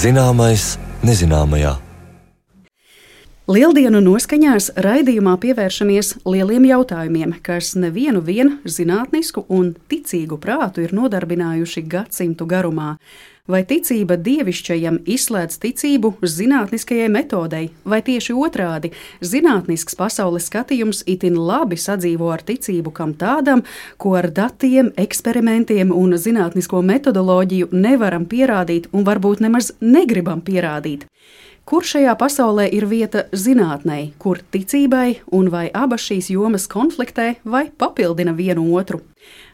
Zināmais nezināmajā. Lieldienu noskaņās raidījumā pievēršamies lieliem jautājumiem, kas nevienu zinātnisku un ticīgu prātu ir nodarbinājuši gadsimtu garumā. Vai ticība dievišķajam izslēdz ticību zinātniskajai metodei, vai tieši otrādi - zinātnisks pasaules skatījums itin labi sadzīvo ar ticību kam tādam, ko ar datiem, eksperimentiem un zinātnisko metodoloģiju nevaram pierādīt un varbūt nemaz negribam pierādīt? Kur šajā pasaulē ir vieta zinātnei, kur ticībai, un vai abas šīs jomas konfliktē vai papildina vienu otru?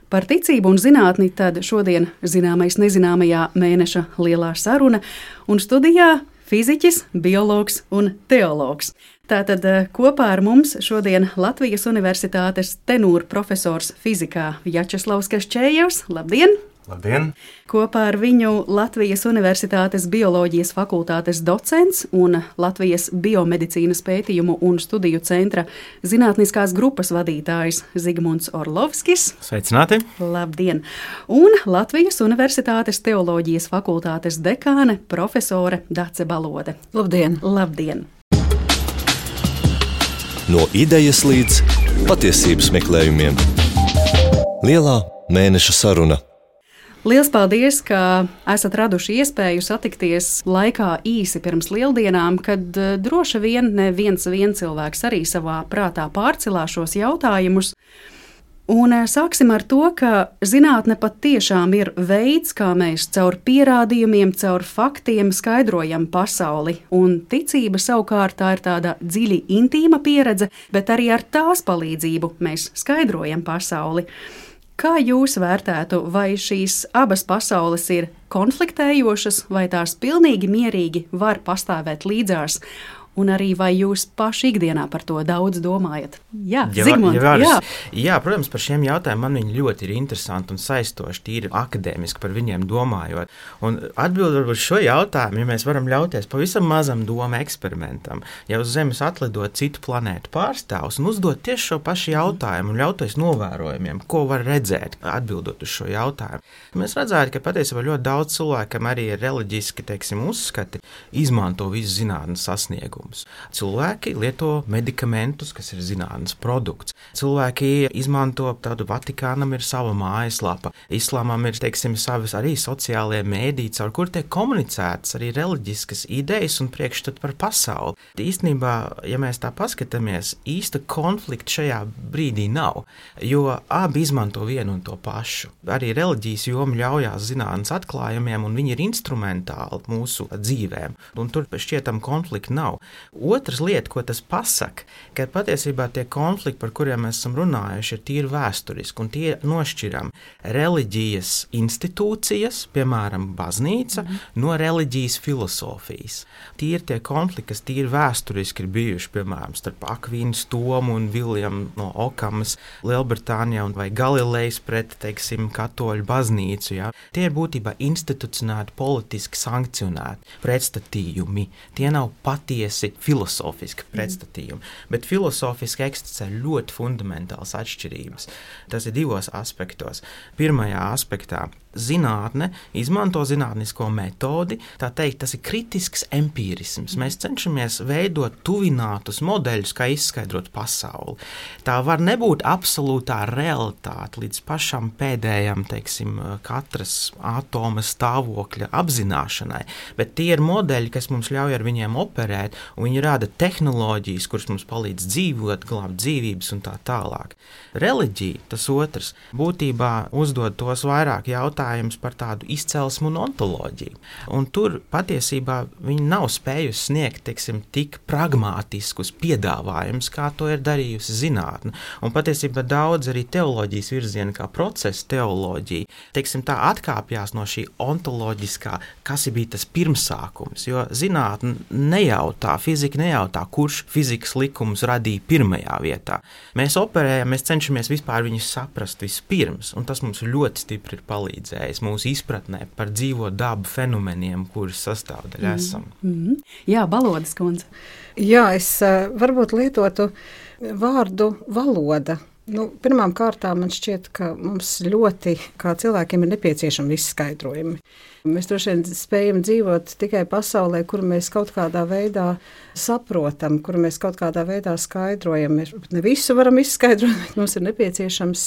Par ticību un zinātni tad šodien zināmais nezināmajā mēneša lielā saruna, un studijā fiziķis, biologs un teologs. Tātad kopā ar mums šodien Latvijas Universitātes tenūra profesors fizikā Vjačeslavs Kaščējevs. Labdien! Labdien! Kopā ar viņu Latvijas Universitātes bioloģijas fakultātes docents un Latvijas biomedicīnas pētījumu un studiju centra zinātniskās grupas vadītājs Zigmunds Orlovskis. Sveicināti! Labdien! Un Latvijas Universitātes teoloģijas fakultātes dekāne profesore Dace Balode. Labdien! Labdien! No idejas līdz patiesības meklējumiem. Lielā mēneša saruna. Liels paldies, ka esat raduši iespēju satikties laikā īsi pirms lieldienām, kad droši vien neviens cilvēks arī savā prātā pārcelā šos jautājumus. Un sāksim ar to, ka zinātne patiešām ir veids, kā mēs caur pierādījumiem, caur faktiem skaidrojam pasauli. Un ticība savukārt tā ir tāda dziļi intīma pieredze, bet arī ar tās palīdzību mēs skaidrojam pasauli. Kā jūs vērtētu, vai šīs abas pasaules ir konfliktējošas, vai tās pilnīgi mierīgi var pastāvēt līdzās? Un arī vai jūs paši ikdienā par to daudz domājat? Jā, Zigmund, jā, protams, par šiem jautājumiem man viņi ļoti ir interesanti un saistoši, tīri akadēmiski par viņiem domājot. Un atbildot uz šo jautājumu, ja mēs varam ļauties pavisam mazam domu eksperimentam, ja uz Zemes atlidot citu planētu pārstāvus un uzdot tieši šo pašu jautājumu un ļauties novērojumiem, ko var redzēt, atbildot uz šo jautājumu. Mēs redzētu, ka patiesībā ļoti daudz cilvēkam arī ir reliģiski, uzskati, izmanto visu zinātnes sasniegumu. Cilvēki lieto medikamentus, kas ir zinātnes produkts. Cilvēki izmanto tādu Vatikānam ir sava mājaslapa. Islāmam ir, savas arī sociālie mēdī, caur kur tiek komunicētas arī reliģiskas idejas un priekšstat par pasauli. Īstenībā, ja mēs tā paskatāmies, īsta konflikta šajā brīdī nav, jo abi izmanto vienu un to pašu. Arī reliģijas joma ļaujās zinātnes atklājumiem, un viņi ir instrumentāli mūsu dzīvēm, un tur šķietam konflikta nav. Otrs lieta, ko tas pasaka, ka patiesībā tie konflikti, par kuriem mēs esam runājuši, ir tīri vēsturiski, un tie nošķiram reliģijas institūcijas, piemēram, baznīca, no reliģijas filosofijas. Tie ir tie konflikti, kas tīri vēsturiski ir bijuši, piemēram, starp Akvīnas Tomu un Viljamu no Okamas Lielbritānijā vai Galilejas pret, katoļu baznīcu. Ja? Tie ir būtībā institucionēti, politiski sankcionēti pretstatījumi. Tie nav patiesi filozofiski pretstatījumi, bet filozofiski eksistē ļoti fundamentāls atšķirības. Tas ir divos aspektos. Pirmajā aspektā zinātne izmanto zinātnisko metodi, tā teikt, tas ir kritisks empīrisms. Mēs cenšamies veidot tuvinātus modeļus, kā izskaidrot pasauli. Tā var nebūt absolūtā realitāte līdz pašam pēdējam, katras atoma stāvokļa apzināšanai, bet tie ir modeļi, kas mums ļauj ar viņiem operēt, un viņi rada tehnoloģijas, kuras mums palīdz dzīvot, glābt dzīvības un tā tālāk. Reliģija, tas otrs, būtībā uzdod tos vairāk jautājumus par tādu izcelsmu un ontoloģiju. Un tur patiesībā viņi nav spējusi sniegt, tik pragmātiskus piedāvājumus, kā to ir darījusi zinātne. Un patiesībā daudz arī teoloģijas virziena, kā procesa teoloģija, tā atkāpjās no šī ontoloģiskā, kas bija tas pirmsākums, jo zinātne nejautā, fizika nejautā, kurš fizikas likumus radīja pirmajā vietā. Mēs operējam, mēs cenšamies vispār viņus saprast vispirms, un tas mums ļoti stipri ir palīdzējis mūsu izpratnē par dzīvo dabu fenomeniem, kurus sastāvdaļā esam. Jā, Balodes kundze. Jā, es varbūt lietotu vārdu valoda. Pirmām kārtām man šķiet, ka mums ļoti, kā cilvēkiem, ir nepieciešami visi skaidrojumi. Mēs droši vien spējam dzīvot tikai pasaulē, kuru mēs kaut kādā veidā saprotam, kuru mēs kaut kādā veidā skaidrojam. Mēs ne visu varam izskaidrot, bet mums ir nepieciešams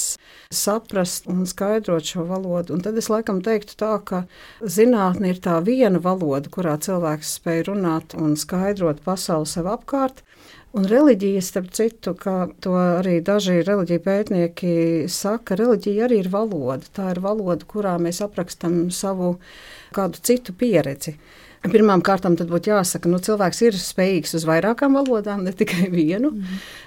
saprast un skaidrot šo valodu. Un tad es laikam teiktu tā, ka zinātne ir tā viena valoda, kurā cilvēks spēj runāt un skaidrot pasauli sev apkārt. Un reliģija, starp citu, ka to arī daži reliģija pētnieki saka, reliģija arī ir valoda. Tā ir valoda, kurā mēs aprakstam savu kādu citu pieredzi. Pirmām kārtām tad būtu jāsaka, cilvēks ir spējīgs uz vairākām valodām, ne tikai vienu,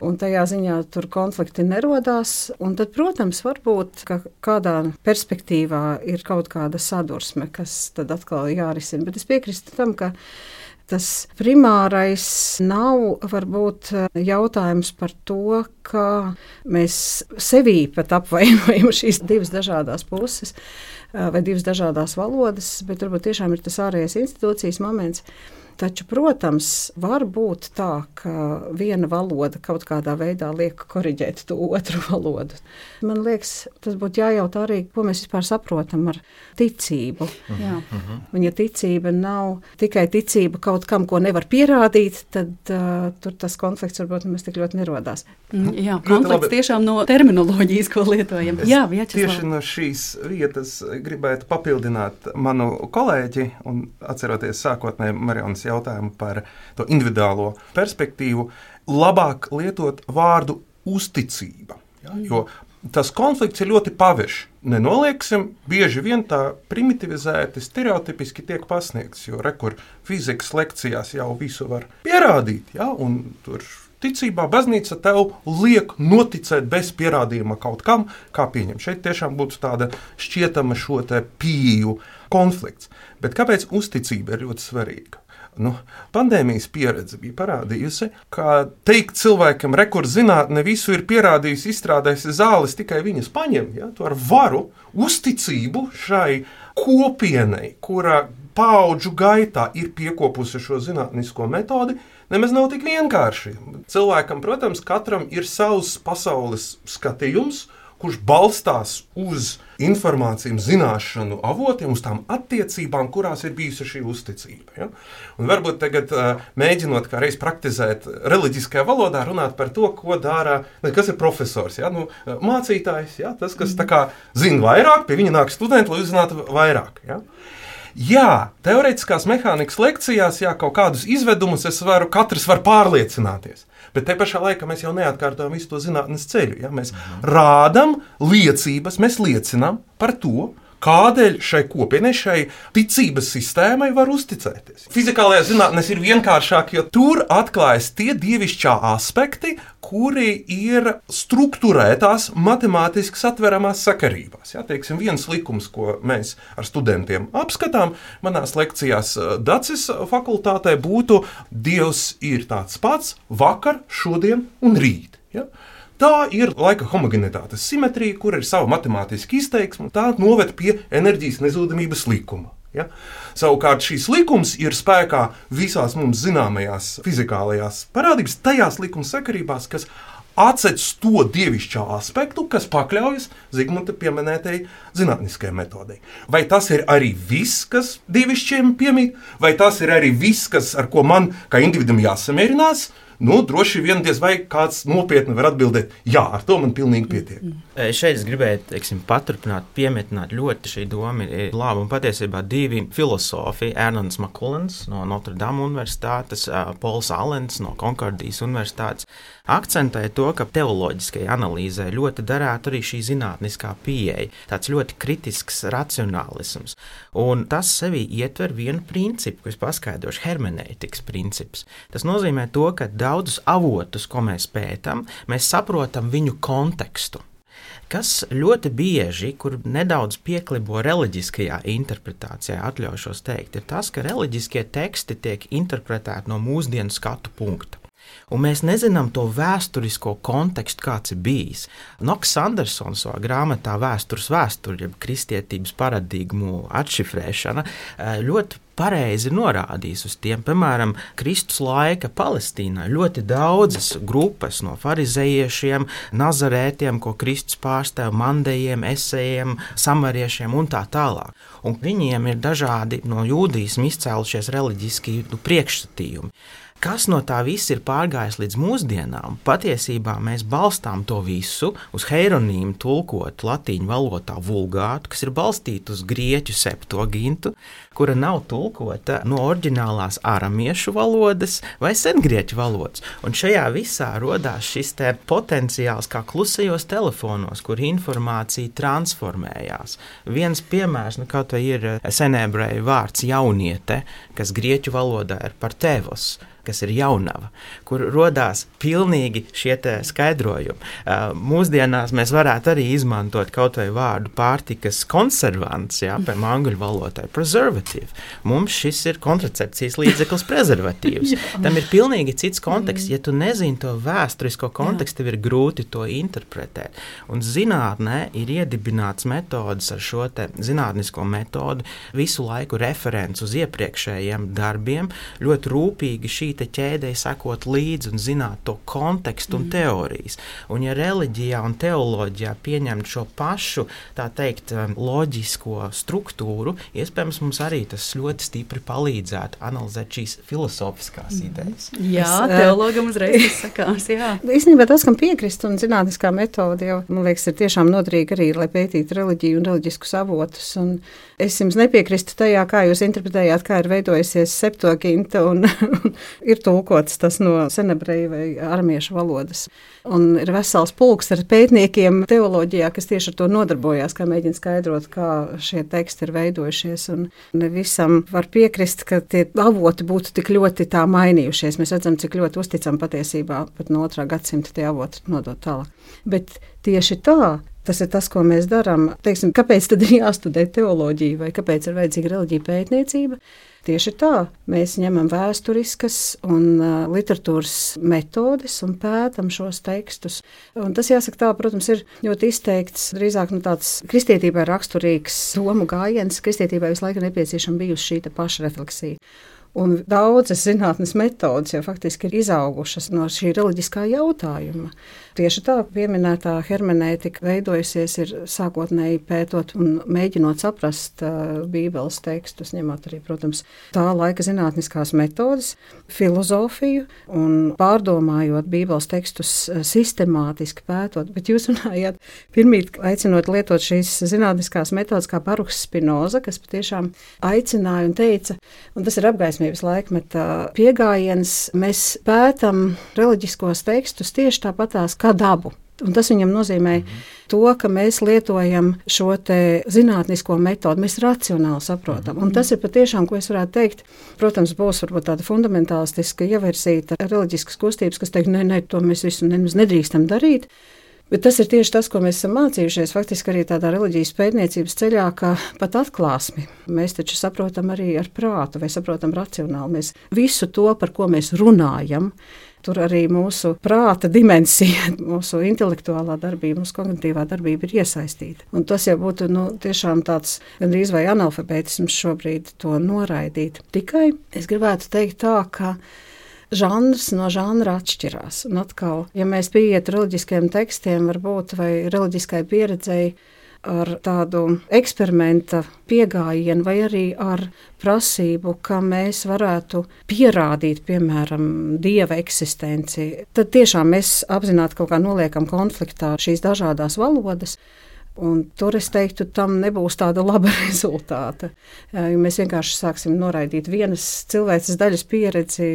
un tajā ziņā tur konflikti nerodās. Un tad, protams, varbūt, ka kādā perspektīvā ir kaut kāda sadursme, kas tad atkal jārisina. Bet es piekrīstu tam, ka tas primārais nav varbūt jautājums par to, kā mēs sevī pat apvainojam šīs divas dažādās puses vai divas dažādās valodas, bet varbūt tiešām ir tas ārējais institūcijas moments. Taču, protams, var būt tā, ka viena valoda kaut kādā veidā liek koriģēt to otru valodu. Man liekas, tas būtu jājautā arī, ko mēs vispār saprotam ar ticību. Jā. Un ja ticība nav tikai ticība kaut kam, ko nevar pierādīt, tad tur tas konflikts varbūt nemaz tik ļoti nerodās. Jā, konflikts tiešām no terminoloģijas, ko lietojam. Jā, tieši no šīs vietas gribētu papildināt manu kolēģi un atceroties sākotnēji Marijonas jautājumu par to individuālo perspektīvu, labāk lietot vārdu uzticība. Ja? Jo tas konflikts ir ļoti pavešs. Nenolieksim, bieži vien tā primitivizēti, stereotipiski tiek pasniegts, jo rekur fizikas lekcijās jau visu var pierādīt, ja? Un tur ticībā baznīca tev liek noticēt bez pierādījuma kaut kam, kā pieņem. Šeit tiešām būtu tāda šķietama šo te pieeju konflikts. Bet kāpēc uzticība ir ļoti svarīga? Pandēmijas pieredze bija parādījusi, ka teikt cilvēkam, kur zinātne visu ir pierādījusi, izstrādājusi zāles, tikai viņas paņem, ja, to ar varu, uzticību šai kopienai, kura paudžu gaitā ir piekopusi šo zinātnisko metodi, nemaz nav tik vienkārši. Cilvēkam, protams, katram ir savs pasaules skatījums, kurš balstās uz informāciju, zināšanu avotiem, uz tām attiecībām, kurās ir bijusi šī uzticība. Ja? Un varbūt tagad mēģinot kā reiz praktizēt reliģiskajā valodā, runāt par to, ko dara, kas ir profesors, ja? Mācītājs, ja? Tas, kas tā kā zina vairāk, pie viņa nāk studenti, lai uzzinātu vairāk. Ja? Jā, teorētiskās mehānikas lekcijās, kaut kādus izvedumus katrs var pārliecināties. Bet te pašā laikā mēs jau neatkārtojam visu to zinātnes ceļu. Ja? Mēs rādam liecības, mēs liecinām par to, kādēļ šai kopienai, šai ticības sistēmai var uzticēties. Fizikālajā zinātnēs ir vienkāršāk, jo tur atklājas tie dievišķā aspekti, kuri ir strukturētās matemātiski satveramās sakarībās. Ja, teiksim, viens likums, ko mēs ar studentiem apskatām, manās lekcijās Dacis fakultātē būtu Dievs ir tāds pats vakar, šodien un rīt. Ja? Tā ir laika homogenitātes simetrija, kur ir sava matemātiska izteiksme, tā noved pie enerģijas nezudamības likuma. Ja? Savukārt šīs likums ir spēkā visās mums zināmajās fizikālajās parādības, tajās likuma sakarībās, kas atsedz to dievišķā aspektu, kas pakļaujas Zigmunta pieminētajai zinātniskajai metodei. Vai tas ir arī viss, kas dievišķiem piemīt, vai tas ir arī viss, ar ko man kā individam jāsamierinās? Droši vien diez vai kāds nopietni var atbildēt, jā, ar to man pilnīgi pietiek. Šeit es gribēju, paturpināt, piemetināt ļoti šī doma ir laba, un patiesībā divi filosofi, Ernsts Makulens no Notre Dame universitātes, Pols Allens no Konkordijas universitātes, akcentēja to, ka teoloģiskajai analīzē ļoti derētu arī šī zinātniskā pieeja, tāds ļoti kritisks racionālisms. Un tas sevī ietver vienu principu, ko es paskaidrošu, hermenētikas princips. Tas nozīmē to, ka daudzus avotus, ko mēs pētam, mēs saprotam viņu kontekstu. Kas ļoti bieži, kur nedaudz pieklibo reliģiskajā interpretācijā, atļaušos teikt, ir tas, ka reliģiskie teksti tiek interpretēti no mūsdienu skatu punkta. Un mēs nezinām to vēsturisko kontekstu, kāds ir bijis. Knox Andersons savā grāmatā Vēstures vēsture, jeb kristietības paradigmu atšifrēšana, ļoti pareizi ir norādījis uz tiem. Piemēram, Kristus laika Palestīnā ļoti daudzas grupas no farizejiešiem, nazarētiem, ko Kristus pārstāv, mandejiem, esejiem, samariešiem un tā tālāk. Un viņiem ir dažādi no jūdīsma izcēlušies reliģiski priekšstatījumi. Kas no tā viss ir pārgājis līdz mūsdienām? Patiesībā mēs balstām to visu uz heironīmu tulkot latīņu valodā vulgātu, kas ir balstīta uz grieķu septuagintu, kura nav tulkota no oriģinālās aramiešu valodas vai sengrieķu valodas. Un šajā visā rodās šis potenciāls kā klusajos telefonos, kur informācija transformējās. Viens piemērs, kaut vai ir senebreju vārds jauniete, kas grieķu valodā ir par tevos, kas ir jaunava, kur rodās pilnīgi šie skaidrojumi. Mūsdienās mēs varētu arī izmantot kaut vai vārdu pārtikas konservants, piemēram, angļu valodā preservative. Mums šis ir kontracepcijas līdzeklis prezervatīvs. Tam ir pilnīgi cits konteksts. Ja tu nezini to vēsturisko kontekstu, tev ir grūti to interpretēt. Un zinātnē ir iedibināts metodas ar šo zinātnisko metodu, visu laiku referents uz iepriekšējiem darbiem, ļoti rūpīgi šī ķēdei sekot līdzi un zināt to kontekstu un teorijas. Un ja reliģijā un teoloģijā pieņemt šo pašu, tā teikt, loģisko struktūru, iespējams mums arī tas ļoti stipri palīdzētu analizēt šīs filosofiskās idejas. Jā, teologam uzreiz sakās, jā. Īstenībā tas, kam piekrist un zinātniskā metode jau, man liekas, ir tiešām noderīga arī, lai pētītu reliģiju un reliģiskus avotus. Un es jums nepiekrīstu tajā, kā jūs interpretējāt, kā ir veidojusies septuaginta un ir tulkots tas no senebreju vai aramiešu valodas. Un ir vesels pulks ar pētniekiem teoloģijā, kas tieši ar to nodarbojās, kā mēģina skaidrot, kā šie teksti ir veidojušies. Un ne visam var piekrist, ka tie avoti būtu tik ļoti tā mainījušies. Mēs redzam, cik ļoti uzticam patiesībā pat no 2. gadsimta tie avoti nodot tālāk. Bet tieši tā, tas ir tas, ko mēs darām. Teiksim, kāpēc tad ir jāstudē teoloģija vai kāpēc ir vajadzīga reliģija pētniecība? Tieši tā, mēs ņemam vēsturiskas un literatūras metodes un pētam šos tekstus. Un tas, jāsaka tā, protams, ir ļoti izteikts, drīzāk tāds kristietībai raksturīgs domu gājiens. Kristietībai visu laiku nepieciešama bijusi šī pašrefleksija. Un daudzas zinātnes metodas jau faktiski ir izaugušas no šī reliģiskā jautājuma. Tieši tā pieminētā hermenētika veidojusies ir sākotnēji pētot un mēģinot saprast Bībeles tekstus, ņemot arī, protams, tā laika zinātniskās metodas, filozofiju un pārdomājot Bībeles tekstus sistemātiski pētot. Bet jūs runājāt pirmīt aicinot lietot šīs zinātniskās metodas kā Baruhs Spinoza, kas patiešām aicināja un teica, un tas ir apgaismības laikmeta piegājiens, mēs pētam reliģiskos tekstus tieši tāpatās kā dabu. Un tas viņam nozīmē to, ka mēs lietojam šo zinātnisko metodu, mēs racionāli saprotam. Un tas ir patiešām, ko es varētu teikt, protams, būs varbūt tāda fundamentālistiska ievirsīta reliģiskas kustības, kas teikt, nē, to mēs visu nedrīkstam darīt. Bet tas ir tieši tas, ko mēs esam mācījušies faktiski arī tādā reliģijas pētniecības ceļā, ka pat atklāsmi mēs taču saprotam arī ar prātu vai saprotam racionāli. Mēs visu to, par ko mēs runājam, tur arī mūsu prāta dimensija, mūsu intelektuālā darbība, mūsu kognitīvā darbība ir iesaistīta. Un tas jau būtu tiešām tāds gandrīz vai analfabētisms šobrīd to noraidīt. Tikai es gribētu teikt tā, ka žanrs no žanra atšķirās. Un atkal, ja mēs pieiet reliģiskiem tekstiem, varbūt vai reliģiskai pieredzei ar tādu eksperimenta piegājienu vai arī ar prasību, ka mēs varētu pierādīt, piemēram, Dieva eksistenci, tad tiešām mēs apzināti kaut kā noliekam konfliktā šīs dažādās valodas. Un tur es teiktu, tam nebūs tāda laba rezultāta. Ja mēs vienkārši sāksim noraidīt vienas cilvēces daļas pieredzi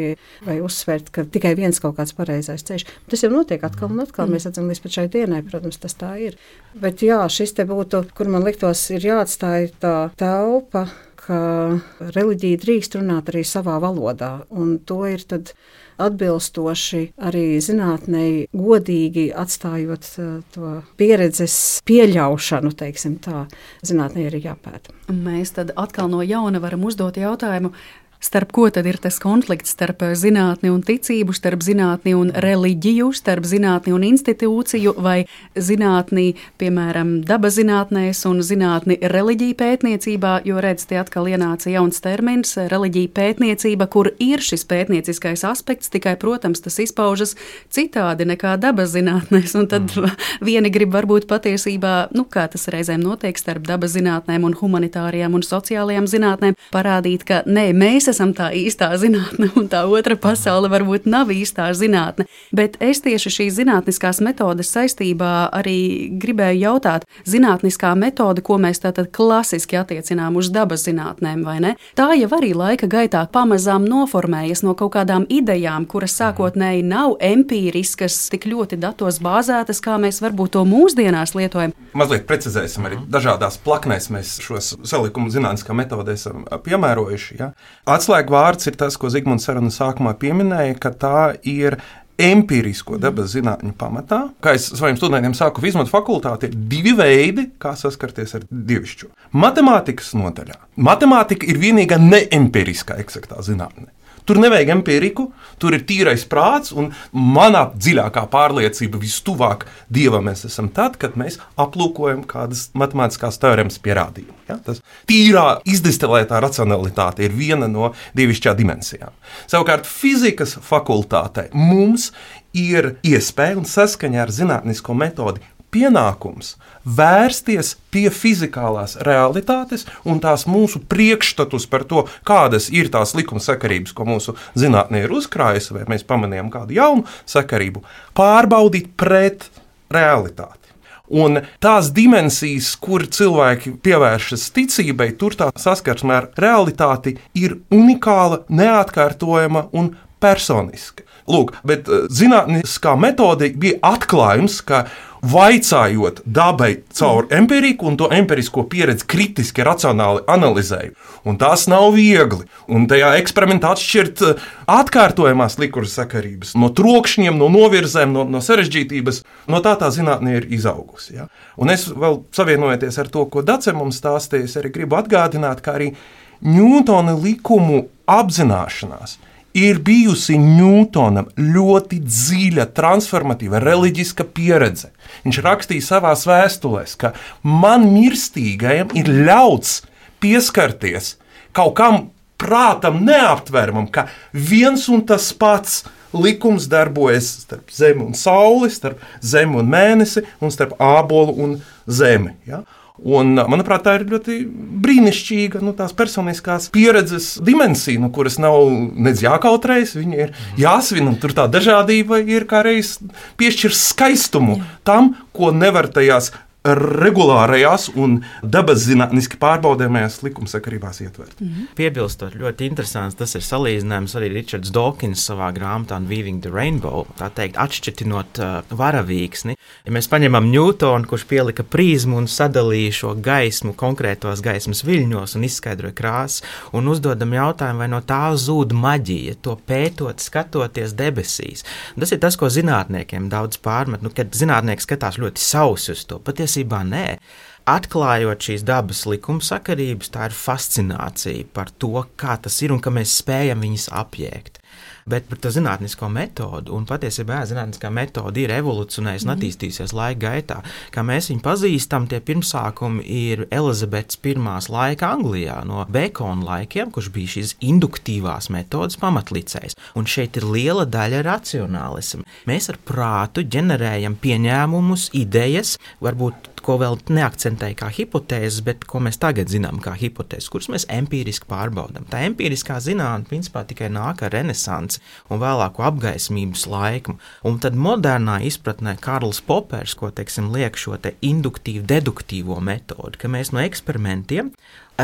vai uzsvērt, ka tikai viens kaut kāds pareizais ceļš. Tas jau notiek atkal un atkal. Mēs redzam līdz pat šai dienai, protams, tas tā ir. Bet jā, šis te būtu, kur man liktos, ir jāatstāj tā telpa, ka reliģija drīkst runāt arī savā valodā. Un to ir tad atbilstoši arī zinātnei godīgi atstājot to pieredzes pieļaušanu, teiksim tā, zinātnei arī jāpēta. Mēs tad atkal no jauna varam uzdot jautājumu, Starp ko tad ir tas konflikts starp zinātni un ticību, starp zinātni un reliģiju, starp zinātni un institūciju vai zinātni, piemēram, dabazinātnēs un zinātni reliģiju pētniecībā, jo redz, tie atkal ienāca jauns termins - reliģija pētniecība, kur ir šis pētnieciskais aspekts, tikai, protams, tas izpaužas citādi nekā dabazinātnēs, un tad vieni grib varbūt patiesībā, kā tas reizēm notiek starp dabazinātnēm un humanitārijām un sociālajām zinātnēm, parādīt, ka nē, mēs esam tā īstā zinātne, un tā otra pasaule varbūt nav īstā zinātne. Bet es tieši šīs zinātniskās metodes saistībā arī gribēju jautāt, zinātniskā metode, ko mēs tātad klasiski attiecinām uz dabas zinātnēm, vai ne? Tā jau arī laika gaitā pamazām noformējas no kaut kādām idejām, kuras sākotnēji nav empīriskas, tik ļoti datos bāzētas, kā mēs varbūt to mūsdienās lietojam. Mazliet precizēsim arī dažādās plaknēs mēs šos salikumu zinātniskā metodē esam piemērojuši. Ja? Atslēgvārds ir tas, ko Zigmunds saruna sākumā pieminēja, ka tā ir empirisko dabas zinātņu pamatā. Kā es saviem studentiem sāku, izmantot fakultāti, ir divi veidi, kā saskarties ar dievišķo. Matemātikas nodaļā. Matemātika ir vienīgā neempiriskā eksaktā zinātne. Tur nevajag empiriku, tur ir tīrais prāts, un manā dziļākā pārliecība vistuvāk Dievam mēs esam tad, kad mēs aplūkojam kādas matemātiskās teoremas pierādījumu. Ja? Tas tīrā izdestilētā racionalitāte ir viena no dievišķā dimensijām. Savukārt fizikas fakultātē mums ir iespēja un saskaņā ar zinātnisko metodi pienākums vērsties pie fizikālās realitātes un tās mūsu priekšstatus par to, kādas ir tās likumsakarības, ko mūsu zinātnē ir uzkrājusi, vai mēs pamanījām kādu jaunu sakarību, pārbaudīt pret realitāti. Un tās dimensijas, kur cilvēki pievēršas ticībai, tur tā saskarsme ar realitāti ir unikāla, neatkārtojama un personiska. Lūk, bet zinātniskā metode bija atklājums, ka vaicājot dabai caur empiriku un to empirisko pieredzi kritiski, racionāli analizēju. Un tas nav viegli. Un tajā eksperimentā atšķirt atkārtojamās likumsakarības no trokšņiem, no novirzēm, no sarežģītības. No tā zinātne ir izaugusi. Ja? Un es vēl savienojoties ar to, ko Dace mums stāstīja, es arī gribu atgādināt, ka arī Ņūtona likumu apzināšanās ir bijusi Ņūtonam ļoti dziļa, transformatīva, reliģiska pieredze. Viņš rakstīja savās vēstulēs, ka man mirstīgajam ir ļauts pieskarties kaut kam prātam neaptveramam, ka viens un tas pats likums darbojas starp zemi un sauli, starp zemi un mēnesi un starp ābolu un zemi. Ja? Un, manuprāt, tā ir ļoti brīnišķīga tās personiskās pieredzes dimensija, kuras nav nedz jākautrējas, viņa ir jāsvin, un tur tā dažādība ir kā reiz piešķir skaistumu tam, ko nevar tajās regulārajās un dabas zinātniski pārbaudāmajās likumsakarībās ietvert. Piebilstot, ļoti interesants tas ir salīdzinājums arī Ričards Dawkins savā grāmatā Weaving the Rainbow, tā teikt, atšķirtinot varavīksni. Ja mēs paņemam Ņūtonu, kurš pielika prizmu un sadalīja šo gaismu konkrētos gaismas viļņos un izskaidroja krāsas, un uzdodam jautājumu, vai no tā zūd maģija, to pētot, skatoties debesīs. Tas ir tas, ko zinātniekiem daudz pārmet, kad zinātnieki skatās ļoti sausi uz to, patiesībā nē. Atklājot šīs dabas likumsakarības, tā ir fascinācija par to, kā tas ir un ka mēs spējam viņus apjēgt. Bet par to zinātnisko metodu, un patiesībā zinātniskā metode ir evolucionējusi un attīstījusies laika gaitā. Kā mēs viņu pazīstam, tie pirmsākumi ir Elizabetes I laika Anglijā, no Bekona laikiem, kurš bija šīs induktīvās metodas pamatlicējs. Un šeit ir liela daļa racionālisma. Mēs ar prātu ģenerējam pieņēmumus, idejas, varbūt ko vēl neakcentēja kā hipotēzes, bet ko mēs tagad zinām kā hipotēzes, kuras mēs empīriski pārbaudām. Tā empīriskā zinātne principā tikai nāk ar renesansi un vēlāko apgaismības laiku. Un tad modernā izpratnē Karls Popers, ko liek šo te induktīvu, deduktīvo metodu, ka mēs no eksperimentiem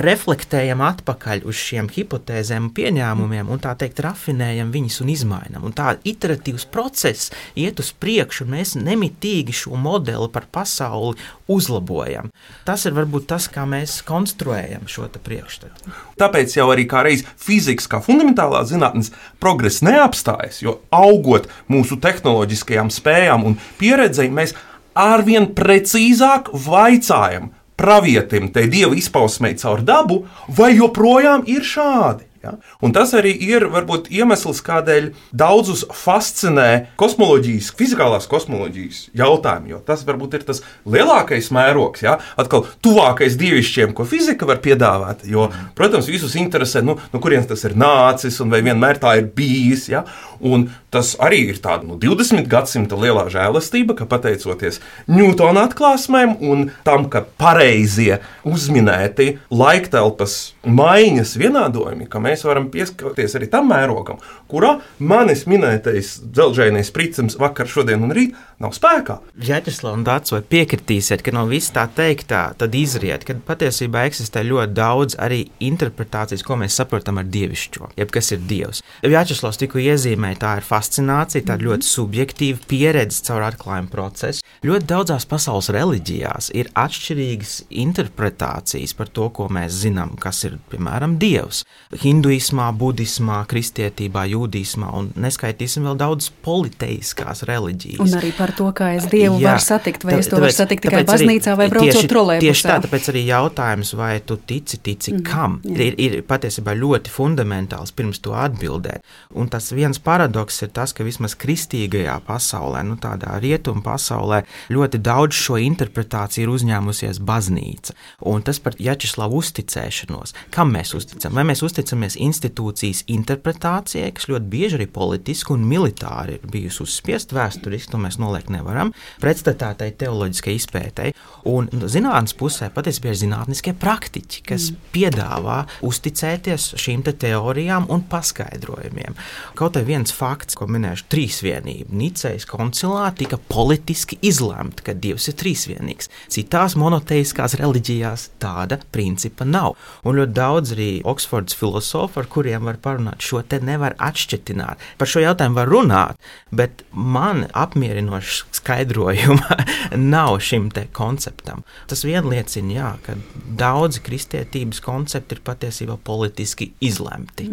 reflektējam atpakaļ uz šiem hipotēzēm un pieņēmumiem un tā teikt rafinējam viņus un izmainam. Un tā iteratīvs process iet uz priekšu un mēs nemitīgi šo modeli par pasauli uzlabojam. Tas ir varbūt tas, kā mēs konstruējam šo te priekšstatu. Tāpēc jau arī kā reiz fizikas kā fundamentālā zinātnes progress neapstājas, jo augot mūsu tehnoloģiskajām spējām un pieredzei, mēs arvien precīzāk vaicājam pravietim, te dieva izpausmei caur dabu, vai joprojām ir šādi. Ja? Un tas arī ir varbūt iemesls, kādēļ daudzus fascinē kosmoloģijas, fizikālās kosmoloģijas jautājumi, jo tas varbūt ir tas lielākais mērogs, ja? Atkal tuvākais dievišķiem, ko fizika var piedāvāt, jo, protams, visus interesē, no kurienes tas ir nācis un vai vienmēr tā ir bijis, ja? Un tas arī ir tāda 20. gadsimta lielā žēlastība, ka pateicoties Ņūtona atklāsmēm un tam, ka pareizie uzminēti laiktelpas maiņas vienādojumi, ka mēs varam pieskarties arī tam mērogam, kurā manis minētais dzelžainais pricams vakar, šodien un rīt nav spēkā. Vjačeslav un Dārts, vai piekritīsiet, ka no viss tā teiktā tad izriet, ka patiesībā eksistē ļoti daudz arī interpretācijas, ko mēs saprotam ar dievišķo, jeb kas ir dievs. Vjačeslavs tikko iezīmēja, tā ir fascinācija, tā ir ļoti subjektīva pieredze caur atklājumu procesu. Ļoti daudzās pasaules reliģijās ir atšķirīgas interpretācijas par to, ko mēs zinām, kas ir, piemēram, dievs. Hinduismā, budismā, kristietībā, jūdismā un neskaitīsim vēl daudz politeiskās reliģijas. Un arī par to, kā es dievu varu satikt, vai es to varu satikt tikai baznīcā vai braucot trolejbusā. Tieši tā, tāpēc arī jautājums, vai tu tici kam, ir patiesībā ļoti fundamentāls pirms to atbildēt. Un tas viens paradoks ir tas, ka vismaz kristīgajā pasaulē, tādā rietumu pasaulē, ļoti daudz šo interpretāciju ir uzņēmusies baznīca. Un tas par Vjačeslavu uzticēšanos. Kam mēs uzticam? Vai mēs uzticamies institūcijas interpretācijai, kas ļoti bieži arī politiski un militāri ir bijusi uzspiest vēsturiski, to mēs noliekt nevaram, pretstatā tai teoloģiskai izpētei. Un zinātnes pusē patiesībā ir zinātniskie praktiķi, kas piedāvā uzticēties šīm te teorijām un paskaidrojumiem. Kaut arī viens fakts, ko minēšu, trīsvienība. Nicejas koncilā tika politiski izlemta, ka Dievs ir trīsvienīgs. Citās monoteiskās reliģijās tāda principa nav. Un ļoti daudz arī Oksfordas filosofu, ar kuriem var parunāt, šo te nevar atšķetināt. Par šo jautājumu var runāt, bet man apmierinošs skaidrojuma nav šim te konceptam. Tas vien liecina, jā, ka daudzi kristietības koncepti ir patiesībā politiski izlemti.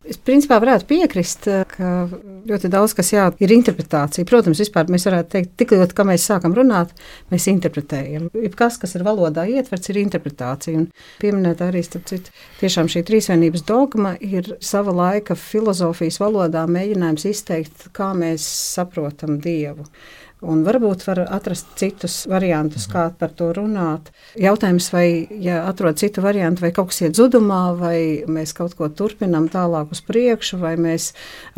Es principā varētu piekrist, ka ļoti daudz kas ir interpretācija. Protams, vispār mēs varētu teikt, tik ļoti, kā mēs sākam runāt, mēs interpretējam. Jebkas, kas ir valodā ietverts, ir interpretācija. Un pieminēt arī, starp citu, tiešām šī trīsvienības dogma ir sava laika filozofijas valodā mēģinājums izteikt, kā mēs saprotam Dievu. Un varbūt var atrast citus variantus, kā par to runāt. Jautājums, vai, ja atrod citu variantu, vai kaut kas iet zudumā, vai mēs kaut ko turpinām tālāk uz priekšu, vai mēs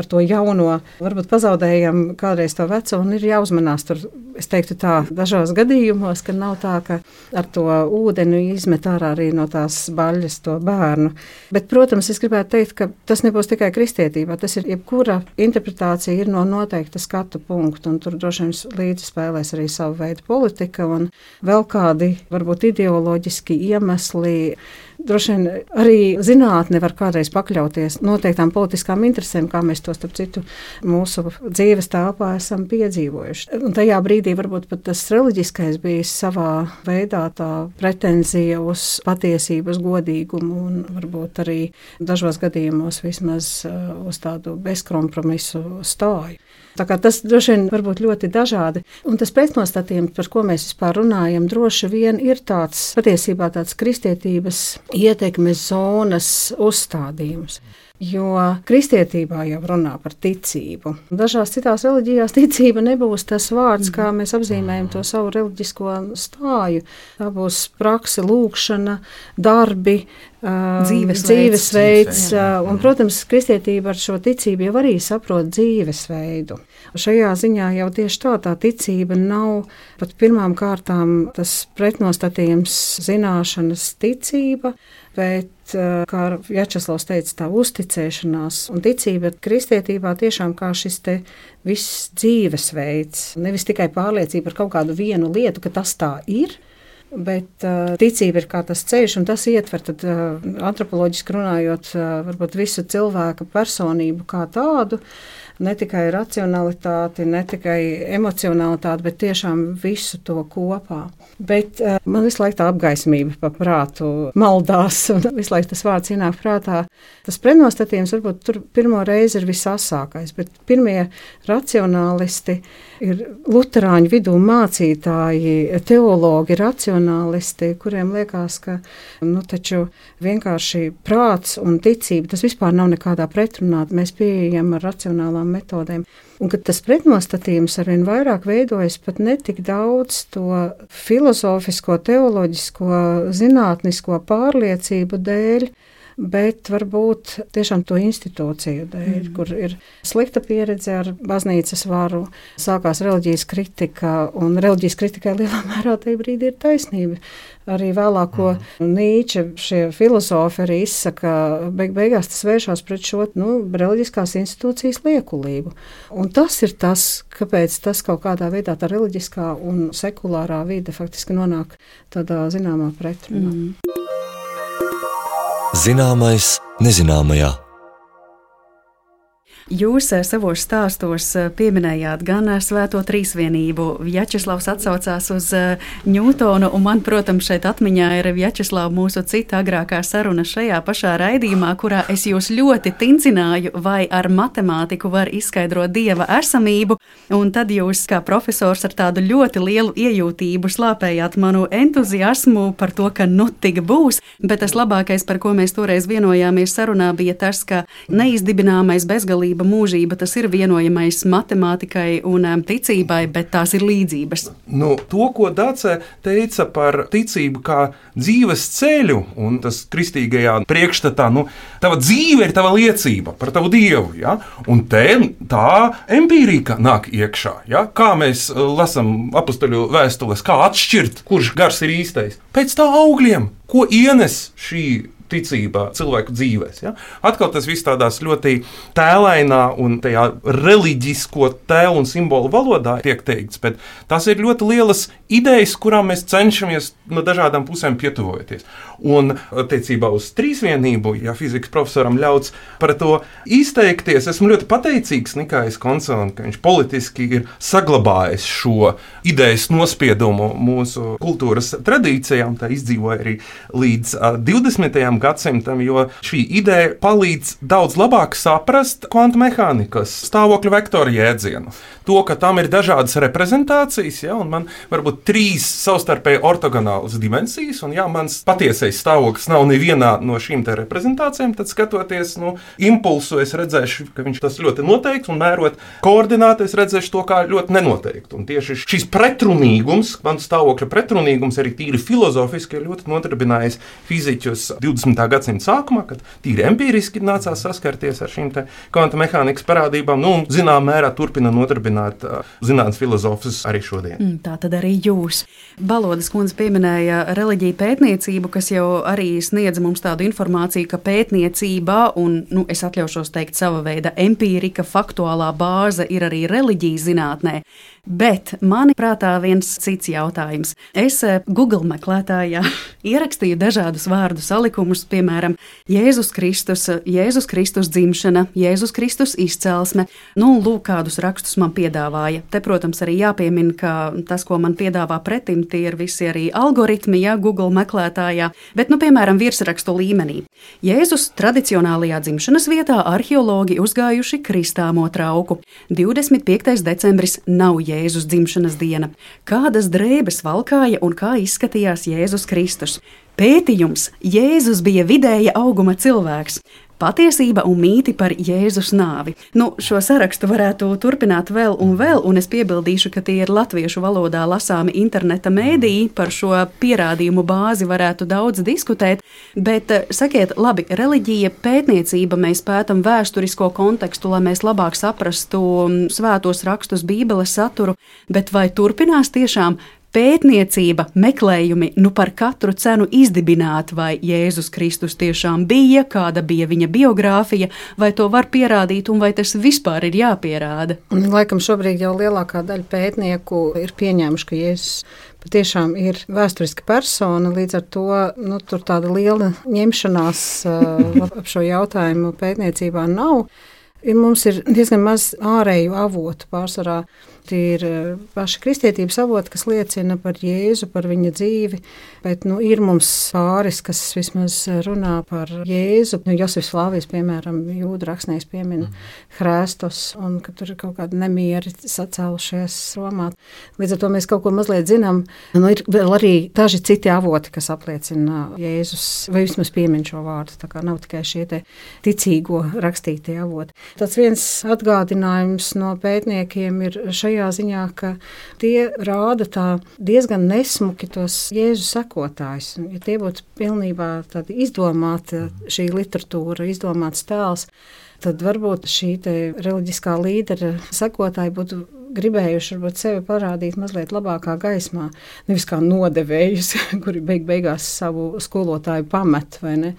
ar to jauno varbūt pazaudējam kādreiz to veco, un ir jāuzmanās tur, es teiktu tā, dažos gadījumos, ka nav tā, ka ar to ūdeni izmet ārā arī no tās baļas to bērnu. Bet, protams, es gribētu teikt, ka tas nebūs tikai kristietībā, tas ir jebkura interpretācija ir no noteikta skatu punktu, un tur droši vien līdzi spēlēs arī savu veidu politika un vēl kādi varbūt ideoloģiski iemesli. Droši vien arī zinātne var kādreiz pakļauties noteiktām politiskām interesēm, kā mēs to starp citu mūsu dzīves telpā esam piedzīvojuši. Un tajā brīdī varbūt pat tas reliģiskais bija savā veidā tā pretenzija uz patiesību, uz godīgumu un varbūt arī dažos gadījumos vismaz uz tādu bezkompromisu stāju. Tā kā tas droši vien var būt ļoti dažādi. Un tas pretnostatījums, par ko mēs vispār runājam, droši vien ir tāds patiesībā tāds kristietības ietekmes zonas uzstādījums. Jo kristietībā jau runā par ticību. Dažās citās reliģijās ticība nebūs tas vārds, kā mēs apzīmējam to savu reliģisko stāju. Tā būs prakse, lūkšana, darbi, dzīvesveids. Un, protams, kristietība ar šo ticību jau arī saprot dzīvesveidu. Šajā ziņā jau tieši tā ticība nav pat pirmām kārtām tas pretnostatījums zināšanas ticība, bet, kā Vjačeslavs teica, tā uzticēšanās un ticība kristietībā tiešām kā šis te viss dzīvesveids, nevis tikai pārliecība par kaut kādu vienu lietu, ka tas tā ir, bet ticība ir kā tas ceļš, un tas ietver tad antropoloģiski runājot varbūt visu cilvēka personību kā tādu, ne tikai racionalitāti, ne tikai emocionalitāti, bet tiešām visu to kopā. Bet man visu laiku tā apgaismība pa prātu maldās, un visu laiku tas vārds ienāk prātā. Tas pretnostatījums varbūt tur pirmo reizi ir visasākais, bet pirmie racionālisti ir luterāņu vidū mācītāji, teologi, racionālisti, kuriem liekas, ka taču vienkārši prāts un ticība, tas vispār nav nekādā pretrunā, mēs pieejam ar racionālām metodēm. Un kad tas pretnostatījums arvien vairāk veidojas pat ne tik daudz to filozofisko, teoloģisko, zinātnisko pārliecību dēļ, bet varbūt tiešām to institūciju dēļ, kur ir slikta pieredze ar baznīcas varu, sākās reliģijas kritika, un reliģijas kritikai lielā mērā tajā brīdī ir taisnība. Arī vēlāko Nīče šie filozofi arī izsaka, beigās tas vēršās pret šo reliģiskās institūcijas liekulību. Un tas ir tas, kāpēc tas kaut kādā veidā tā reliģiskā un sekulārā vide faktiski nonāk tādā zināmā pretrunā. Zināmais nezināmajā. Jūs savos stāstos pieminējāt gan Svēto Trīsvienību. Vjačeslavs atsaucās uz Ņūtonu, un man, protams, šeit atmiņā ir Vjačeslava mūsu cita agrākā saruna šajā pašā raidījumā, kurā es jūs ļoti tincināju, vai ar matemātiku var izskaidrot Dieva esamību, un tad jūs, kā profesors, ar tādu ļoti lielu iejūtību slāpējāt manu entuziasmu par to, ka tik būs, bet tas labākais, par ko mēs toreiz vienojāmies sarunā, bija tas, ka neizdibināmais bezgalība mūžība, tas ir vienojamais matemātikai un ticībai, bet tās ir līdzības. To, ko Dāce teica par ticību kā dzīves ceļu, un tas kristīgajā priekšstatā, tava dzīve ir tava liecība par tavu Dievu, ja? Un te tā empīrika nāk iekšā, ja? Kā mēs lasam apustuļu vēstules, kā atšķirt, kurš gars ir īstais. Pēc tā augļiem, ko ienes šī ticībā cilvēku dzīvēs. Ja? Atkal tas viss tādās ļoti tēlainā un tajā reliģisko tēlu un simbolu valodā tiek teikts, bet tas ir ļoti lielas idejas, kurām mēs cenšamies no dažādām pusēm pietuvoties. Un attiecībā uz trīsvienību, ja fizikas profesoram ļauts par to izteikties, esmu ļoti pateicīgs Nikājas Koncelam, ka viņš politiski ir saglabājis šo idejas nospiedumu mūsu kultūras tradīcijām, tā izdzīvoja arī līdz 20. gadsimtam, jo šī ideja palīdz daudz labāk saprast kvantu mehānikas stāvokļu vektoru jēdzienu. To, ka tam ir dažādas reprezentācijas, ja, un man varbūt 3 savstarpēji ortogonālas dimensijas, un ja mans patiesais stāvoklis nav nevienā no šīm te reprezentācijām, tad skatoties impulsu, es redzēšu, ka viņš tas ļoti noteikts, un mērot koordināti, es redzēšu to kā ļoti nenoteikti. Un tieši šis pretrunīgums, kvantu stāvokļa pretrunīgums arī tīri filozofiski ir ļoti nodarbinājis fiziķus 20. gadsimta sākumā, kad tīri empīriski nācās saskarties ar šīm te kvantu mehānikas parādībām, un zinām mērā turpina nodarbināt zinātnes filozofus arī šodien. Tā tad arī jūs. Balodas kundze pieminēja reliģiju pētniecību, kas jau arī sniedz mums tādu informāciju, ka pētniecībā, un es atļaušos teikt sava veida empīrika, faktuālā bāze ir arī reliģijas zinātnē. Bet mani prātā viens cits jautājums. Es Google meklētājā ierakstīju dažādus vārdu salikumus, piemēram, Jēzus Kristus dzimšana, Jēzus Kristus izcelsme. Lūk, kādus rakstus man piedāvāja. Te, protams, arī jāpiemina, ka tas, ko man piedāvā pretim, tie ir visi arī algoritmi, Google meklētājā. Bet, piemēram, virsrakstu līmenī. Jēzus tradicionālajā dzimšanas vietā arheologi uzgājuši kristāmo trauku. 25. decembris nav Jēzus dzimšanas diena. Kādas drēbes valkāja un kā izskatījās Jēzus Kristus? Pētījums: Jēzus bija vidēja auguma cilvēks. Patiesība un mīti par Jēzus nāvi. Šo sarakstu varētu turpināt vēl, un es piebildīšu, ka tie ir latviešu valodā lasāmi interneta mēdīji. Par šo pierādījumu bāzi varētu daudz diskutēt, bet sakiet, labi, reliģija, pētniecība, mēs pētam vēsturisko kontekstu, lai mēs labāk saprastu svētos rakstus, Bībeles saturu, bet vai turpinās tiešām pētniecība, meklējumi, par katru cenu izdibināt, vai Jēzus Kristus tiešām bija, kāda bija viņa biogrāfija, vai to var pierādīt, un vai tas vispār ir jāpierāda? Laikam šobrīd jau lielākā daļa pētnieku ir pieņēmuši, ka Jēzus patiešām ir vēsturiska persona, līdz ar to tur tāda liela ņemšanās ap šo jautājumu pētniecībā nav. Mums ir diezgan maz ārēju avotu pārsvarā. Tie ir paši kristietības avoti, kas liecina par Jēzu, par viņa dzīvi, bet ir mums pāris, kas vismaz runā par Jēzu. Josifs Flāvijs, piemēram, jūdu rakstnieks piemina Hrestos, un ka tur ir kaut kādi nemieri sacēlušies Romā. Līdz ar to mēs kaut ko mazliet zinām. Ir vēl arī daži citi avoti, kas apliecina Jēzus, vai vismaz piemin šo vārdu, tā kā nav tikai šie te ticīgo rakstītie avoti. Tāds viens atgādinājums no pētniekiem ir šajā ziņā, ka tie rāda tā diezgan nesmuki tos Jēzus sekotājus. Ja tie būtu pilnībā tādi izdomāti, šī literatūra, izdomāts tēls, tad varbūt šī te reliģiskā līdera sekotāji būtu gribējuši varbūt sevi parādīt mazliet labākā gaismā, nevis kā nodevējus, kuri beigās savu skolotāju pamet, vai ne?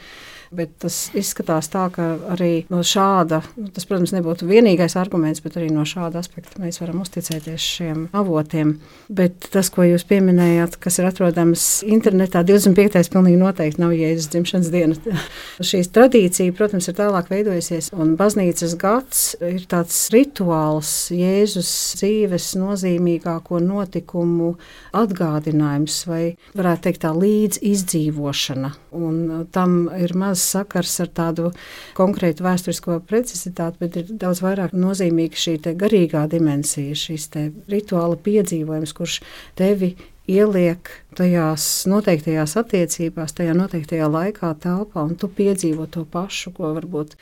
Bet tas izskatās tā, ka arī no šāda, tas, protams, nebūtu vienīgais arguments, bet arī no šāda aspekta mēs varam uzticēties šiem avotiem. Bet tas, ko jūs pieminējāt, kas ir atrodams internetā, 25. pilnīgi noteikti nav Jēzus dzimšanas diena. Šīs tradīcija, protams, ir tālāk veidojusies, un baznīcas gads ir tāds rituāls, Jēzus dzīves nozīmīgāko notikumu atgādinājums, vai varētu teikt tā līdz izdzīvošana. Un tam ir maz sakars ar tādu konkrētu vēsturisko precizitāti, bet ir daudz vairāk nozīmīga šī te garīgā dimensija, šīs te rituāla piedzīvojums, kurš tevi ieliek tajās noteiktajās attiecībās, tajā noteiktajā laikā, telpā, un tu piedzīvo to pašu, ko varbūt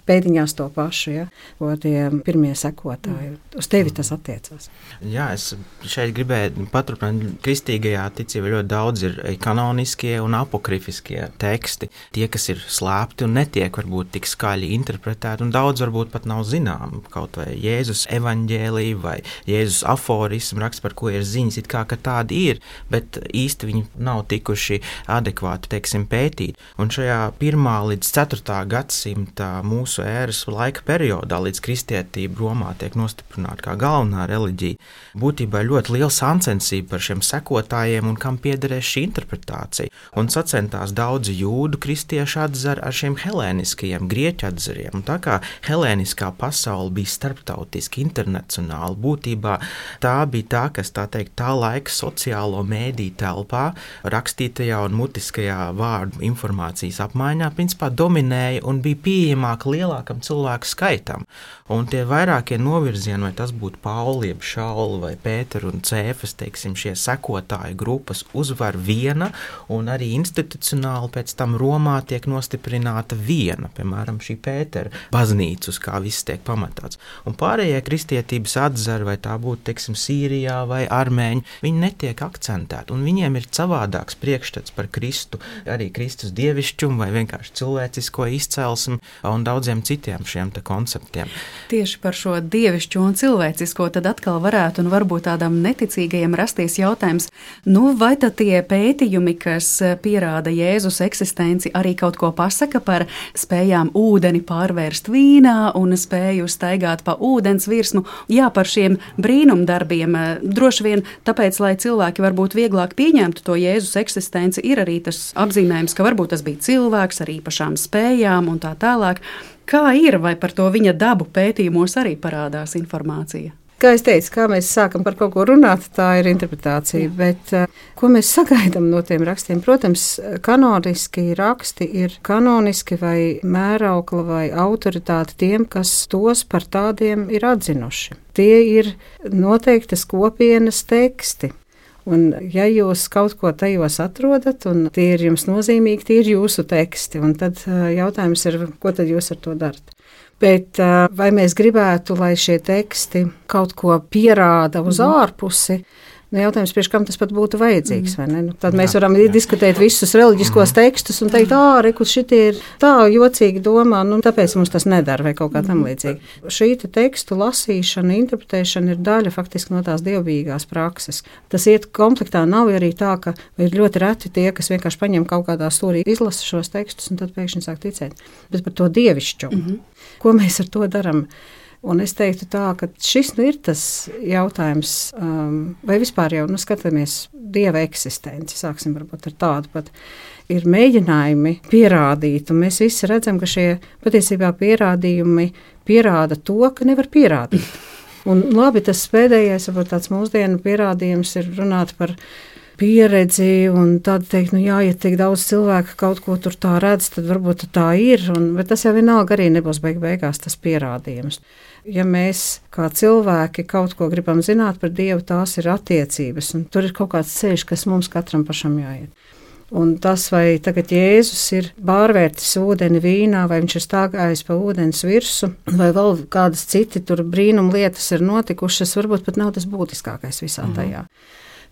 pēdiņās to pašu, ja, ko tie pirmie sekotāji. Uz tevi tas attiecās. Jā, es šeit gribēju paturpināt, kristīgajā ticībā ļoti daudz ir kanoniskie un apokrifiskie teksti, tie, kas ir slēpti un netiek varbūt tik skaļi interpretēti, un daudz varbūt pat nav zinām, kaut vai Jēzus evaņģēlija vai Jēzus aforismu raksts, par ko ir ziņas, it kā, ka tādi ir, bet īsti viņi nav tikuši adekvāti, teiksim, pētīt. Un šajā 1. līdz 4. gadsimta mūsu ēras laika periodā, līdz kristietība Romā tiek nostiprināta kā galvenā reliģija, būtībā ļoti liela sacensība par šiem sekotājiem un kam piederēs šī interpretācija. Un sacentās daudzi jūdu kristieši atzar ar šiem helēniskajiem, grieķu atzariem. Un tā kā helēniskā pasaule bija starptautiski, internacionāla, būtībā tā bija tā, kas tā teikt tā laika sociālo mēdīju telpā, rakstītajā un mutiskajā vārdu informācijas apmaiņā, principā dominēja un bija pieejamāk lielākam cilvēku skaitam. Un tie vairākie novirzieni, vai tas būtu Pauli, jeb Šauli vai Pēteru un Cēfas, teiksim, šie sekotāju grupas uzvar viena, un arī institucionāli pēc tam Romā tiek nostiprināta viena, piemēram, šī Pētera baznīca, uz kā viss tiek pamatāts. Un pārējie kristietības atzari, vai tā būtu, teiksim, Sīrijā vai armēņi, viņi netiek akcentēti, un viņiem ir savādāks priekšstats par Kristu, arī Kristus dievišķumu vai vienkārši cilvēcisko izcelsmi un daudziem citiem šiem te konceptiem. Tieši par šo dievišķo un cilvēcisko tad atkal varētu un varbūt tādam neticīgajam rasties jautājums, vai tad tie pētījumi, kas pierāda Jēzus eksistenci, arī kaut ko pasaka par spējām ūdeni pārvērst vīnā un spēju staigāt pa ūdens virsmu, par šiem brīnumdarbiem, droši vien tāpēc, lai cilvēki varbūt vieglāk pieņemtu to Jēzus eksistenci, ir arī tas apzīmējums, ka varbūt tas bija cilvēks ar īpašām spējām un tā tālāk. Kā ir, vai par to viņa dabu pētījumos arī parādās informācija? Kā es teicu, kā mēs sākam par kaut ko runāt, tā ir interpretācija, bet ko mēs sagaidām no tiem rakstiem? Protams, kanoniski raksti ir kanoniski vai mēraukla vai autoritāte tiem, kas tos par tādiem ir atzinuši. Tie ir noteiktas kopienas teksti. Un ja jūs kaut ko tajos atrodat, un tie ir jums nozīmīgi, tie ir jūsu teksti, un tad jautājums ir, ko tad jūs ar to darat? Bet vai mēs gribētu, lai šie teksti kaut ko pierāda uz ārpusi? Jautājums, priekš kam tas pat būtu vajadzīgs, vai ne? Tad mēs varam diskutēt visus reliģiskos tekstus un teikt, reku, šitie ir tā jocīgi domā, tāpēc mums tas nedara vai kaut kā tam līdzīgi. Šī tekstu lasīšana, interpretēšana ir daļa faktiski no tās dievbijīgās prakses. Tas iet komplektā, nav arī tā, ka ir ļoti reti tie, kas vienkārši paņem kaut kādā stūrī, izlasa šos tekstus un tad pēkšņi sāk ticēt. Bet par to dievišķumu. Ko mēs ar to daram? Un es teiktu tā, ka šis ir tas jautājums, vai vispār jau skatāmies Dieva eksistenci, sāksim varbūt ar tādu pat, ir mēģinājumi pierādīt, un mēs visi redzam, ka šie patiesībā pierādījumi pierāda to, ka nevar pierādīt. Un labi, tas pēdējais, varbūt tāds mūsdienu pierādījums ir runāt par pieredzi un tad teikt, jā, ja tik daudz cilvēku kaut ko tur tā redz, tad varbūt tā ir, bet tas jau vienalga arī nebūs beigās tas pierādījums. Ja mēs kā cilvēki kaut ko gribam zināt par Dievu, tās ir attiecības, un tur ir kaut kāds ceļš, kas mums katram pašam jāiet. Un tas, vai tagad Jēzus ir pārvērtis ūdeni vīnā, vai viņš ir stāvējis pa ūdens virsu, vai vēl kādas citi tur brīnum lietas ir notikušas, varbūt pat nav tas būtiskākais visā tajā.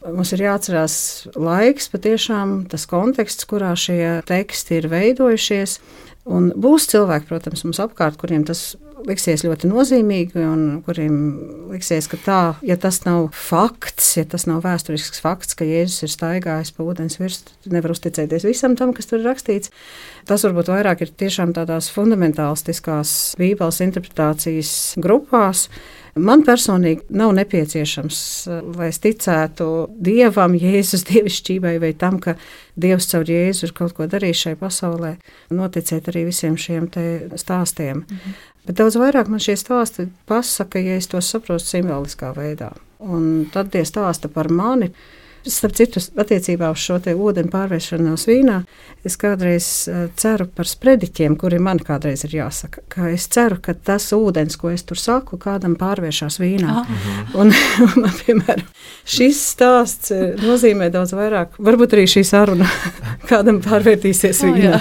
Mums ir jāatcerās laiks, patiešām tas konteksts, kurā šie teksti ir veidojušies. Un būs cilvēki, protams, mums apkārt, kuriem tas liksies ļoti nozīmīgi un kuriem liksies, ka tā, ja tas nav fakts, ja tas nav vēsturisks fakts, ka Jēzus ir staigājis pa ūdens virsmu, nevar uzticēties visam tam, kas tur ir rakstīts. Tas varbūt vairāk ir tiešām tādās fundamentālistiskās Bībeles interpretācijas grupās. Man personīgi nav nepieciešams, lai es ticētu Dievam, Jēzus dievišķībai vai tam, ka Dievs caur Jēzu ir kaut ko darījis šai pasaulē, noticēt arī visiem šiem te stāstiem. Bet daudz vairāk man šie stāsti pasaka, ja es tos saprotu simboliskā veidā. Un tad tie stāsta par mani. Starp citu, attiecībā uz šo te ūdeni pārvēršanos vīnā, es kādreiz ceru par sprediķiem, kuri man kādreiz ir jāsaka. Ka es ceru, ka tas ūdens, ko es tur saku, kādam pārvēršās vīnā. Un, piemēram, šis stāsts nozīmē daudz vairāk. Varbūt arī šī saruna kādam pārvērtīsies vīnā.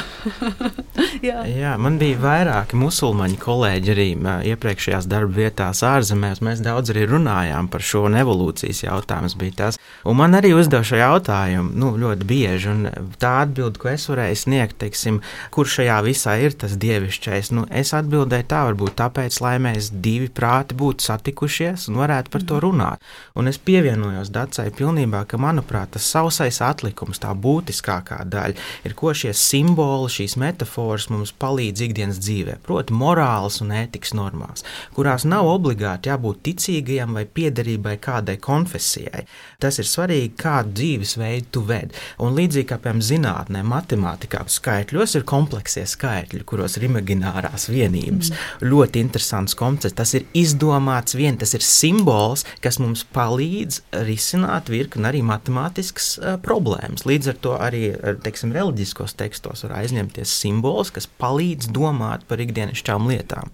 Jā, man bija vairāki musulmaņu kolēģi arī iepriekšējās darba vietās ārzemēs. Mēs daudz arī runājām par šo un evolūcijas jautājums bija tas. Un man arī uzdev šo jautājumu ļoti bieži, un tā atbilde, ko es varēju sniegt, teiksim, kur šajā visā ir tas dievišķais, es atbildēju tā, varbūt tāpēc, lai mēs divi prāti būtu satikušies un varētu par to runāt. Un es pievienojos Dacai pilnībā, ka, manuprāt, tas sausais atlikums, tā būtiskākā daļa, ir, ko šie simboli, šīs metafors mums palīdz ikdienas dzīvē, proti morāles un ētikas normās, kurās nav obligāti jābūt ticīgajam vai piederībai kādai konfesijai. Tas ir svarīgi, kādu dzīvesveidu tu ved. Un līdzīgi kā, piemēram, zinātnē, matemātikā, skaitļos ir kompleksie skaitļi, kuros ir imaginārās vienības. Ļoti interesants koncepts. Tas ir izdomāts tas ir simbols, kas mums palīdz risināt virkni arī matemātiskas problēmas. Līdz ar to arī, teiksim, reliģiskos tekstos var aizņemties simbols, kas palīdz domāt par ikdienišķām lietām.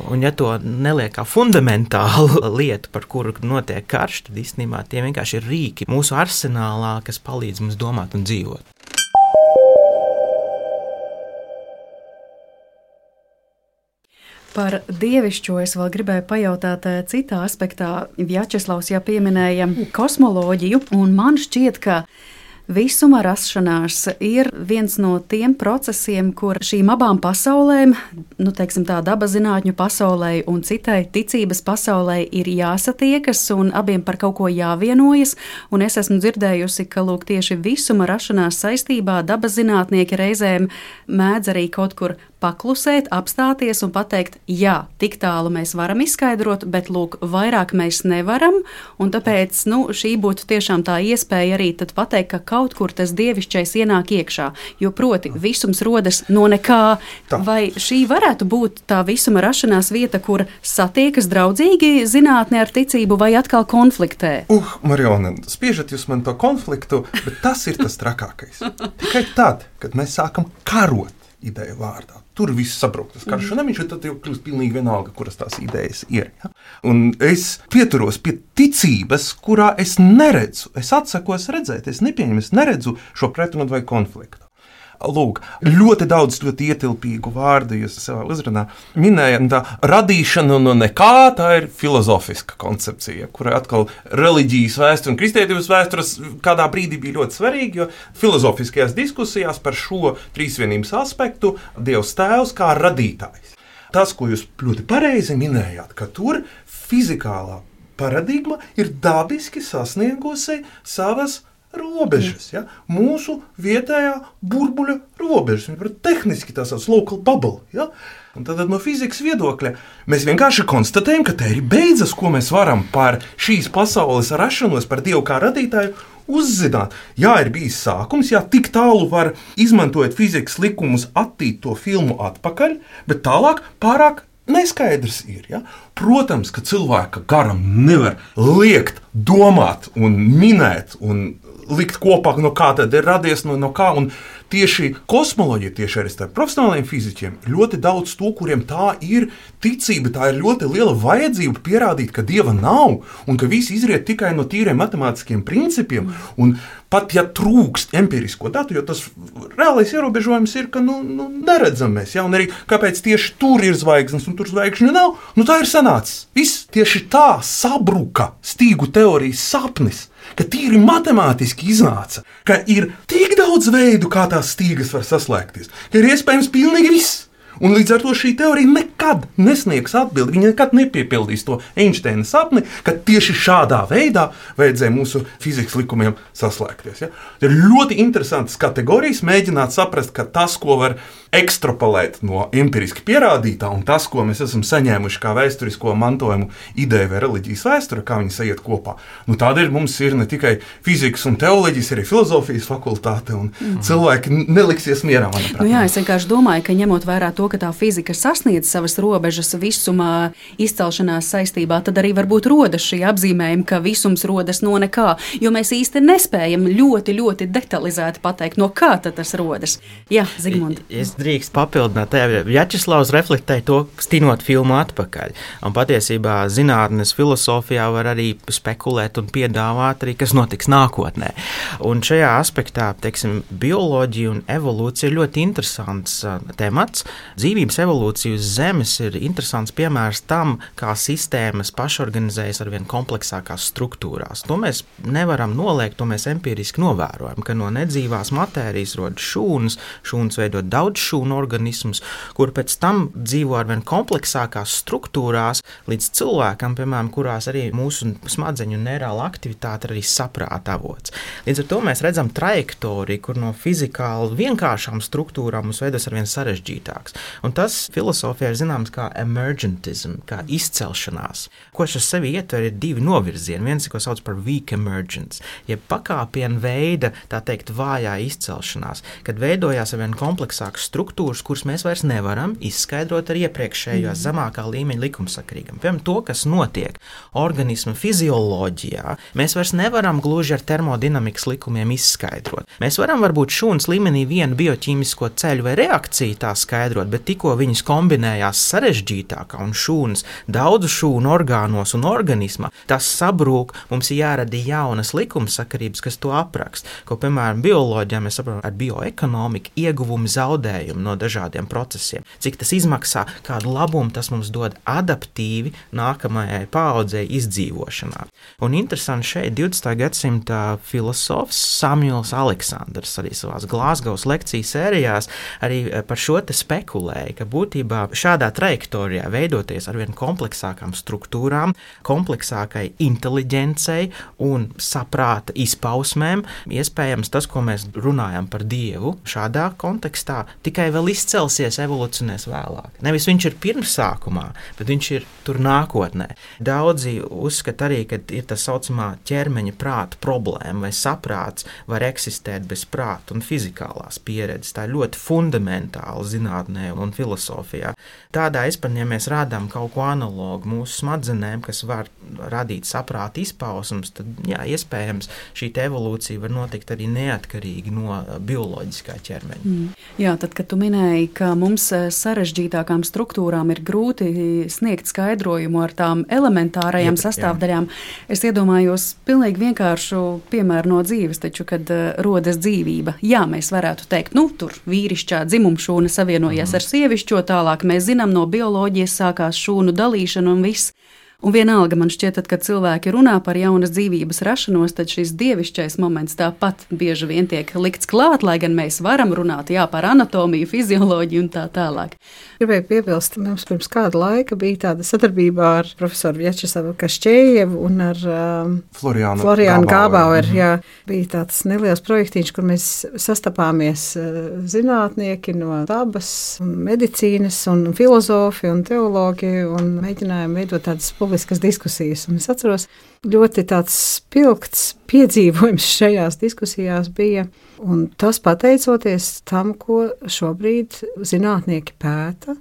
Un ja to neliek kā fundamentālu lietu, par kuru notiek karš, tad īstenībā tie vienkārši ir rīki mūsu arsenālā, kas palīdz mums domāt un dzīvot. Par dievišķo es vēl gribēju pajautāt citā aspektā. Vjačeslavs jau pieminēja kosmoloģiju, un man šķiet, ka visuma rašanās ir viens no tiem procesiem, kur šīm abām pasaulēm, teiksim tā dabazinātņu pasaulē un citai ticības pasaulē ir jāsatiekas un abiem par kaut ko jāvienojas, un es esmu dzirdējusi, ka lūk tieši visuma rašanās saistībā dabazinātnieki reizēm mēdz arī kaut kur paklusēt, apstāties un pateikt, jā, tik tālu mēs varam izskaidrot, bet lūk, vairāk mēs nevaram, un tāpēc, šī būtu tiešām tā iespēja arī tad pateikt, ka kaut kur tas dievišķais ienāk iekšā, jo proti visums rodas no nekā, vai šī varētu būt tā visuma rašanās vieta, kur satiekas draudzīgi zinātne ar ticību vai atkal konfliktē? Mariona, spiežat jūs man to konfliktu, bet tas ir tas trakākais. Tikai tad, kad mēs sākam karot ideju vārdā. Tur viss sabrūk, tas karš, un tad jau kļūst pilnīgi vienalga, kuras tās idejas ir. Ja? Un es pieturos pie ticības, kurā es neredzu, es atsakos redzēt, es nepieņemu, es neredzu šo pretrunu vai konfliktu. Lūk, ļoti daudz ļoti ietilpīgu vārdu jūs savā uzrunā minējat. Tā radīšana no nekā, tā ir filozofiska koncepcija, kurai atkal reliģijas vēsture un kristietības vēstures kādā brīdī bija ļoti svarīga, jo filozofiskajās diskusijās par šo trīsvienības aspektu Dievs tēvs kā radītājs. Tas, ko jūs ļoti pareizi minējāt, ka tur fizikālā paradigma ir dabiski sasniegusi savas robežas, ja? Mūsu vietējā burbuļa robežas. Tehniski tā sauc local bubble. Ja? Un tad no fizikas viedokļa mēs vienkārši konstatējam, ka te ir beidzas, ko mēs varam par šīs pasaules rašanos, par Dievu kā radītāju uzzināt. Jā, ir bijis sākums, jā, tik tālu var izmantojot fizikas likumus attīt to filmu atpakaļ, bet tālāk pārāk neskaidrs ir. Ja? Protams, ka cilvēka garam nevar liekt, domāt un minēt un likt kopā, no kā tad ir radies, no kā. Un tieši kosmoloģija, tieši arī starp profesionāliem fiziķiem, ļoti daudz to, kuriem tā ir ticība, tā ir ļoti liela vajadzība pierādīt, ka Dieva nav un ka viss izriet tikai no tīriem matemātiskiem principiem. Un pat ja trūkst empirisko datu, jo tas reālais ierobežojums ir, ka neredzam mēs. Ja? Un arī kāpēc tieši tur ir zvaigznes un tur zvaigžņu nav, tā ir sanācis. Viss tieši tā sabruka stīgu teorijas sapnis, ka tīri matemātiski iznāca, ka ir tik daudz veidu, kā tās stīgas var saslēgties, ka ir iespējams pilnīgi viss. Un līdz ar to šī teorija nekad nesniegs atbildi. Viņa nekad nepiepildīs to Einsteina sapni, ka tieši šādā veidā vajadzēja mūsu fizikas likumiem saslēgties. Ja? Ir ļoti interesantas kategorijas mēģināt saprast, ka tas, ko var ekstrapolēt no empiriski pierādītā, un tas, ko mēs esam saņēmuši kā vēsturisko mantojumu ideja vai reliģijas vēsture, kā viņi sajiet kopā. Tādēļ mums ir ne tikai fizikas un teoloģijas, arī filozofijas fakultāte, un cilvēki neliksies mierā, manuprāt. Jā, es vienkārši domāju, ka ņemot vērā to, ka tā fizika sasniedz savas robežas visumā izcelšanās saistībā, tad arī varbūt rodas šī apzīmējuma, ka visums rodas no nekā, jo mēs īsti nespējam ļoti, ļoti detalizēti pateikt, no kā tad tas rodas. Jā, Zigmund. Es drīkst papildināt, Vjačeslavs reflektēja to, stinot filmu atpakaļ. Un patiesībā zinātnes filosofijā var arī spekulēt un piedāvāt arī, kas notiks nākotnē. Un šajā aspektā, bioloģija un evolūcija ir ļoti interesants temats. Dzīvības evolūcija uz Zemes ir interesants piemērs tam, kā sistēmas pašorganizējas ar vien kompleksākās struktūrās. To mēs nevaram noliegt, to mēs empiriski novērojam, ka no nedzīvās matērijas rodas šūnas veidot daudz šūnu organismus, kur pēc tam dzīvo ar vien kompleksākās struktūrās līdz cilvēkam, piemēram, kurās arī mūsu smadzeņu un neirāla aktivitāte arī saprāta avots. Līdz ar to mēs redzam trajektoriju, kur no fizikāli vienkāršām struktūrām mums veidos ar vien sarežģītāks. Un tas filosofijā ir zināms kā emergentism, kā izcelšanās. Ko šis sevi ietver, ir divi novirzieni. Viens, ko sauc par weak emergence, jeb pakāpienu veida, tā teikt, vājā izcelšanās, kad veidojās ar vien kompleksākas struktūras, kuras mēs vairs nevaram izskaidrot ar iepriekšējās zemākā līmeņa likumsakarīgam. Piemēram, to, kas notiek organisma fizioloģijā, mēs vairs nevaram gluži ar termodinamikas likumiem izskaidrot. Mēs varam varbūt šūnas līmenī vienu bioķīmisko ceļu vai reakciju tā skaidrot, bet tikko viņas kombinējās sarežģītākā un šūnas daudzu šūnu orgānos un organismā, tas sabrūk, mums ir jārada jaunas likumsakarības, kas to aprakst. Ko, piemēram, bioloģijā mēs saprotam ar bioekonomiku ieguvumi zaudējumi no dažādiem procesiem. Cik tas izmaksā, kādu labumu tas mums dod adaptīvi nākamajai paaudzei izdzīvošanā. Un interesanti šeit 20. gadsimta filosofs Samuels Aleksandrs arī savās Glāzgovas lekciju sērijās arī par šo te spekulēja, ka būtībā šādā trajektorijā veidoties ar vien kompleksākām struktūrām, kompleksākai inteliģencei un saprāta izpausmēm, iespējams tas, ko mēs runājam par Dievu šādā kontekstā, tikai vēl izcelsies, evolucionēs vēlāk. Nevis viņš ir pirmsākumā, bet viņš ir tur nākotnē. Daudzi uzskata arī, ka ir tā saucamā ķermeņa prāta problēma, vai saprāts var eksistēt bez prāta un fizikālās pieredzes. Tā ir ļoti fundamentāla zinātnē un filosofijā. Tādā izpratnē, ja mēs rādām kaut ko analogu mūsu smadzenēm, kas var radīt saprāta izpausmes, tad jā, iespējams šī evolūcija var notikt arī neatkarīgi no bioloģiskā ķermeņa. Jā, tad, kad tu minēji, ka mums sarežģītākām struktūrām ir grūti sniegt skaidrojumu ar tām elementārajām sastāvdaļām, es iedomājos pilnīgi vienkāršu piemēru no dzīves, taču, kad rodas dzīvība. Jā, mēs varētu teikt, tur vīrišķā dzimumšūna savienojas ar sievišķo, tālāk mēs zinām, no bioloģijas sākās šūnu dalīšana un viss. Un vienalga man šķiet, kad cilvēki runā par jaunas dzīvības rašanos, tad šis dievišķais moments tāpat bieži vien tiek likts klāt, lai gan mēs varam runāt par anatomiju, fizioloģiju un tā tālāk. Gribēju piebilst, mums pirms kāda laika bija tāda sadarbībā ar profesoru Vjačeslavu Kašķējevu un ar Floriānu Gābaueru. Jā, bija tāds neliels projektiņš, kur mēs sastapāmies zinātnieki no dabas, medicīnas un filozofi un teologi un mēģinājām veidot tādas publiskas diskusijas. Un es atceros, ļoti tāds spilgts piedzīvojums šajās diskusijās bija, un tas pateicoties tam, ko šobrīd zinātnieki pēta,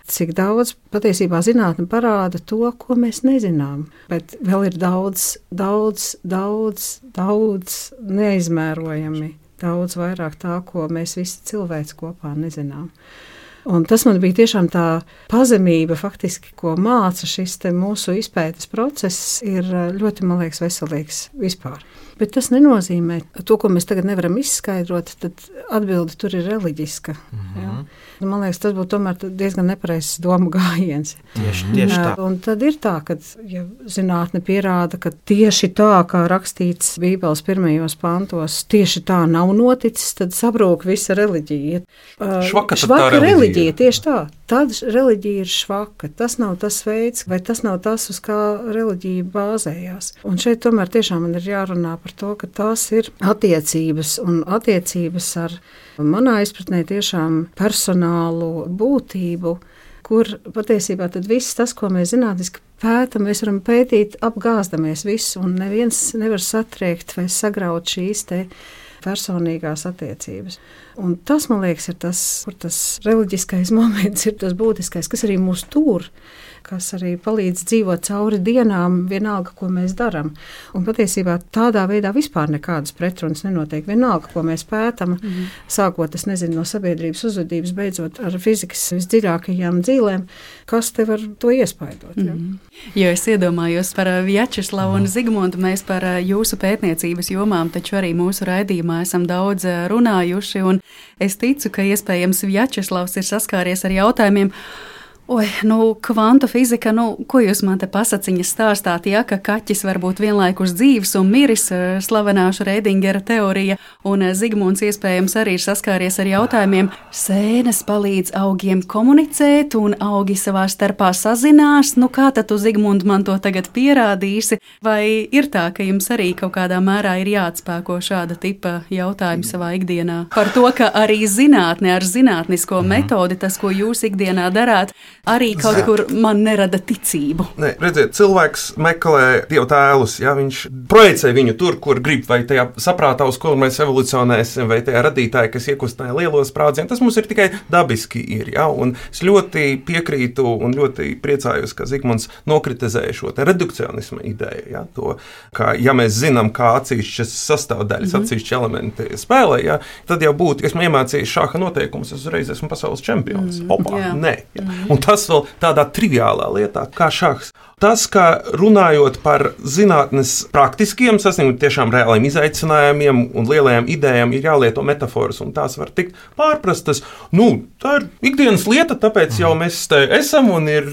cik daudz patiesībā zinātne parāda to, ko mēs nezinām. Bet vēl ir daudz neizmērojami, daudz vairāk tā, ko mēs visi cilvēci kopā nezinām. Un tas man bija tiešām tā pazemība, faktiski, ko māca šis mūsu izpētes process, ir ļoti, man liekas, veselīgs vispār. Bet tas nenozīmē to, ko mēs tagad nevaram izskaidrot, tad atbilde tur ir reliģiska. Ja? Man liekas, tas būtu tomēr diezgan nepareizs domu gājiens. Tieši tā. Un tad ir tā, ka ja zinātne pierāda, ka tieši tā, kā rakstīts Bībeles pirmajos pantos, tieši tā nav noticis, tad sabrūk visa reliģija. Švaka reliģija, tieši tā. Tad reliģija ir švaka. Tas nav tas veids, vai tas nav tas, uz kā reliģija bāzējās. Un šeit tomēr tiešām man ir jārunā par to, ka tās ir attiecības, un attiecības ar manā izpratnē tiešām personālu būtību, kur patiesībā tad viss tas, ko mēs zinātniski pētam, mēs varam pētīt apgāzdamies visu, un neviens nevar satriekt vai sagraut šīs te personīgās attiecības. Un tas, man liekas, ir tas, kur tas reliģiskais moments ir tas būtiskais, kas arī mūs tur, kas arī palīdz dzīvot cauri dienām, vienalga, ko mēs darām. Un patiesībā tādā veidā vispār nekādas pretrunas nenotiek. Vienalga, ko mēs pētam, sākot, es nezinu, no sabiedrības uzvedības, beidzot ar fizikas visdziļākajām dzīlēm, kas te var to iespaidot. Ja? Jo es iedomājos par Vjačeslavu un Zigmundu, mēs par jūsu pētniecības jomām taču arī mūsu raidījumā esam daudz runājuši, un es ticu, ka iespējams Vjačeslavs ir saskāries ar jautājumiem, kvantu fizika, ko jūs man te pasaciņas stāstāt, ja, ka kaķis var būt vienlaikus dzīves un miris, slavenā Šrēdingera teorija, un Zigmunds iespējams arī ir saskāries ar jautājumiem, sēnes palīdz augiem komunicēt, un augi savā starpā sazinās, kā tad tu, Zigmund, man to tagad pierādīsi, vai ir tā, ka jums arī kaut kādā mērā ir jāatspēko šāda tipa jautājumi savā ikdienā? Par to, ka arī zinātne ar zinātnisko metodi, tas, ko jūs ikdienā darāt, arī kaut kur man nerada ticību. Nē, redziet, cilvēks meklē Dievu tēlus, ja viņš projicē viņu tur, kur grib, vai tajā saprātā, uz kur mēs evolucionēsim, vai tajā radītāji, kas iekustināja lielos sprādzienus. Tas mums ir tikai dabiski ir, ja, un es ļoti piekrītu un ļoti priecājos, ka Zigmunds nokritizēja šo te redukcionisma ideju, ja, to, ka ja mēs zinām, kā atsevišķas sastāvdaļas, atsevišķi elementi spēlē, ja, tad jau būtu, ja esmu iemācījis šāha noteikumus, es uzreiz esmu pasaules čempions. Nē. Ja. Un tas vēl tādā triviālā lietā, kā šahs. Tas, ka runājot par zinātnes praktiskiem sasniegumiem, tiešām reāliem izaicinājumiem un lielajām idejām, ir jālieto metaforas, un tās var tikt pārprastas. Tā ir ikdienas lieta, tāpēc jau mēs te esam un ir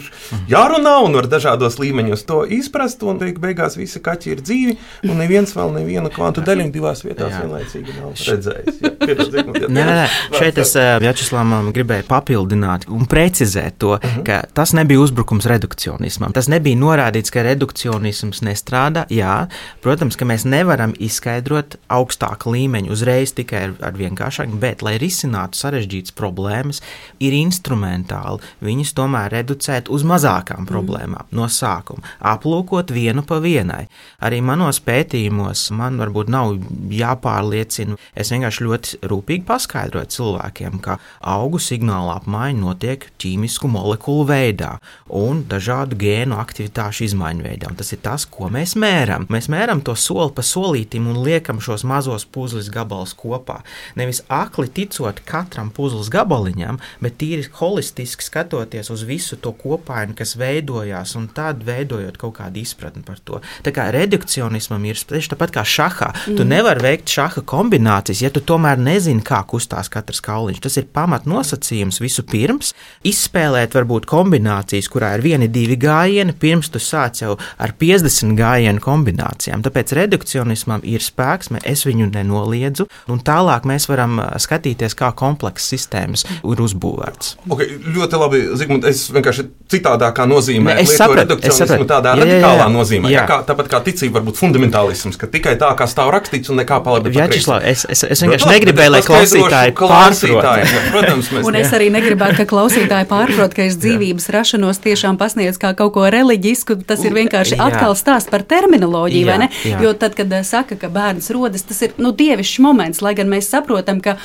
jārunā un var dažādos līmeņos to izprast, un beigās visi kaķi ir dzīvi, un neviens vēl nevienu kvantu daļiņu divās vietās vienlaicīgi nav redzējis. Nē. Šeit es Vjačeslavam gribēju papildināt un precizēt to, ka tas nebija uzbrukums redukcionismam. Tas nebija norādīts, ka redukcionisms nestrādā. Jā, protams, ka mēs nevaram izskaidrot augstāku līmeņu uzreiz tikai ar vienkāršāku, bet, lai risinātu sarežģītas problēmas, ir instrumentāli viņus tomēr reducēt uz mazākām problēmām no sākuma, aplūkot vienu pa vienai. Arī manos pētījumos man varbūt nav jāpārliecina. Es vienkārši ļoti rūpīgi paskaidroju cilvēkiem, ka augu signāla apmaiņa notiek ķīmisku molekulu veidā un dažādu gēnu aktivitāšu izmaiņu veidā. Un tas ir tas, ko mēs mēram. Mēs mēram to soli pa solītim un liekam šos mazos puzles gabalus kopā. Nevis akli ticot katram puzles gabaliņam, bet tīri holistiski skatoties uz visu to kopainu, kas veidojās, un tad veidojot kaut kādu izpratni par to. Tā kā redukcionismam ir tieši tāpat kā šahā. Tu nevari veikt šaha kombinācijas, ja tu tomēr nezini, kā kustās katrs kauliņš. Tas ir pamatnosacījums visu pirms. Izspēlēt varbūt kombinācijas, kurā ir 1-2 gājieni, pirms tu sāc jau ar 50 gājienu kombinācijām. Tāpēc redukcionismam ir spēks, es viņu nenoliedzu, un tālāk mēs varam skatīties, kā komplekss sistēmas ir uzbūvēts. Okay, ļoti labi, Zigmund, es vienkārši citādākā nozīmē lietoju redukcionismu tādā radikālā nozīmē. Jā. Tāpat kā ticība var būt fundamentālisms, ka tikai tā, kā stāv rakstīts un nekā paliek. Vjačeslav, es vienkārši negribēju, lai klausītāji pārprot. Protams, un es arī negribētu, ka klausītāji pārprot, ka es dzīvības rašanos tiešām pasniedzu kā kaut ko reliģisku. Tas ir vienkārši atkal stāsts par terminoloģiju, vai ne? Jo tad, kad saka, ka bērns rodas, tas ir dievišķs moments, lai gan mēs saprotam, ka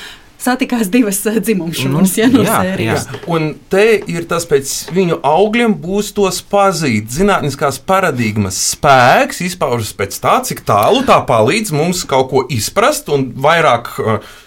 satikās divas dzimumšūnas, no sērijas. Un te ir tas pēc viņu augļiem būs tos pazīt. Zinātniskās paradigmas spēks izpaužas pēc tā, cik tālu tā palīdz mums kaut ko izprast un vairāk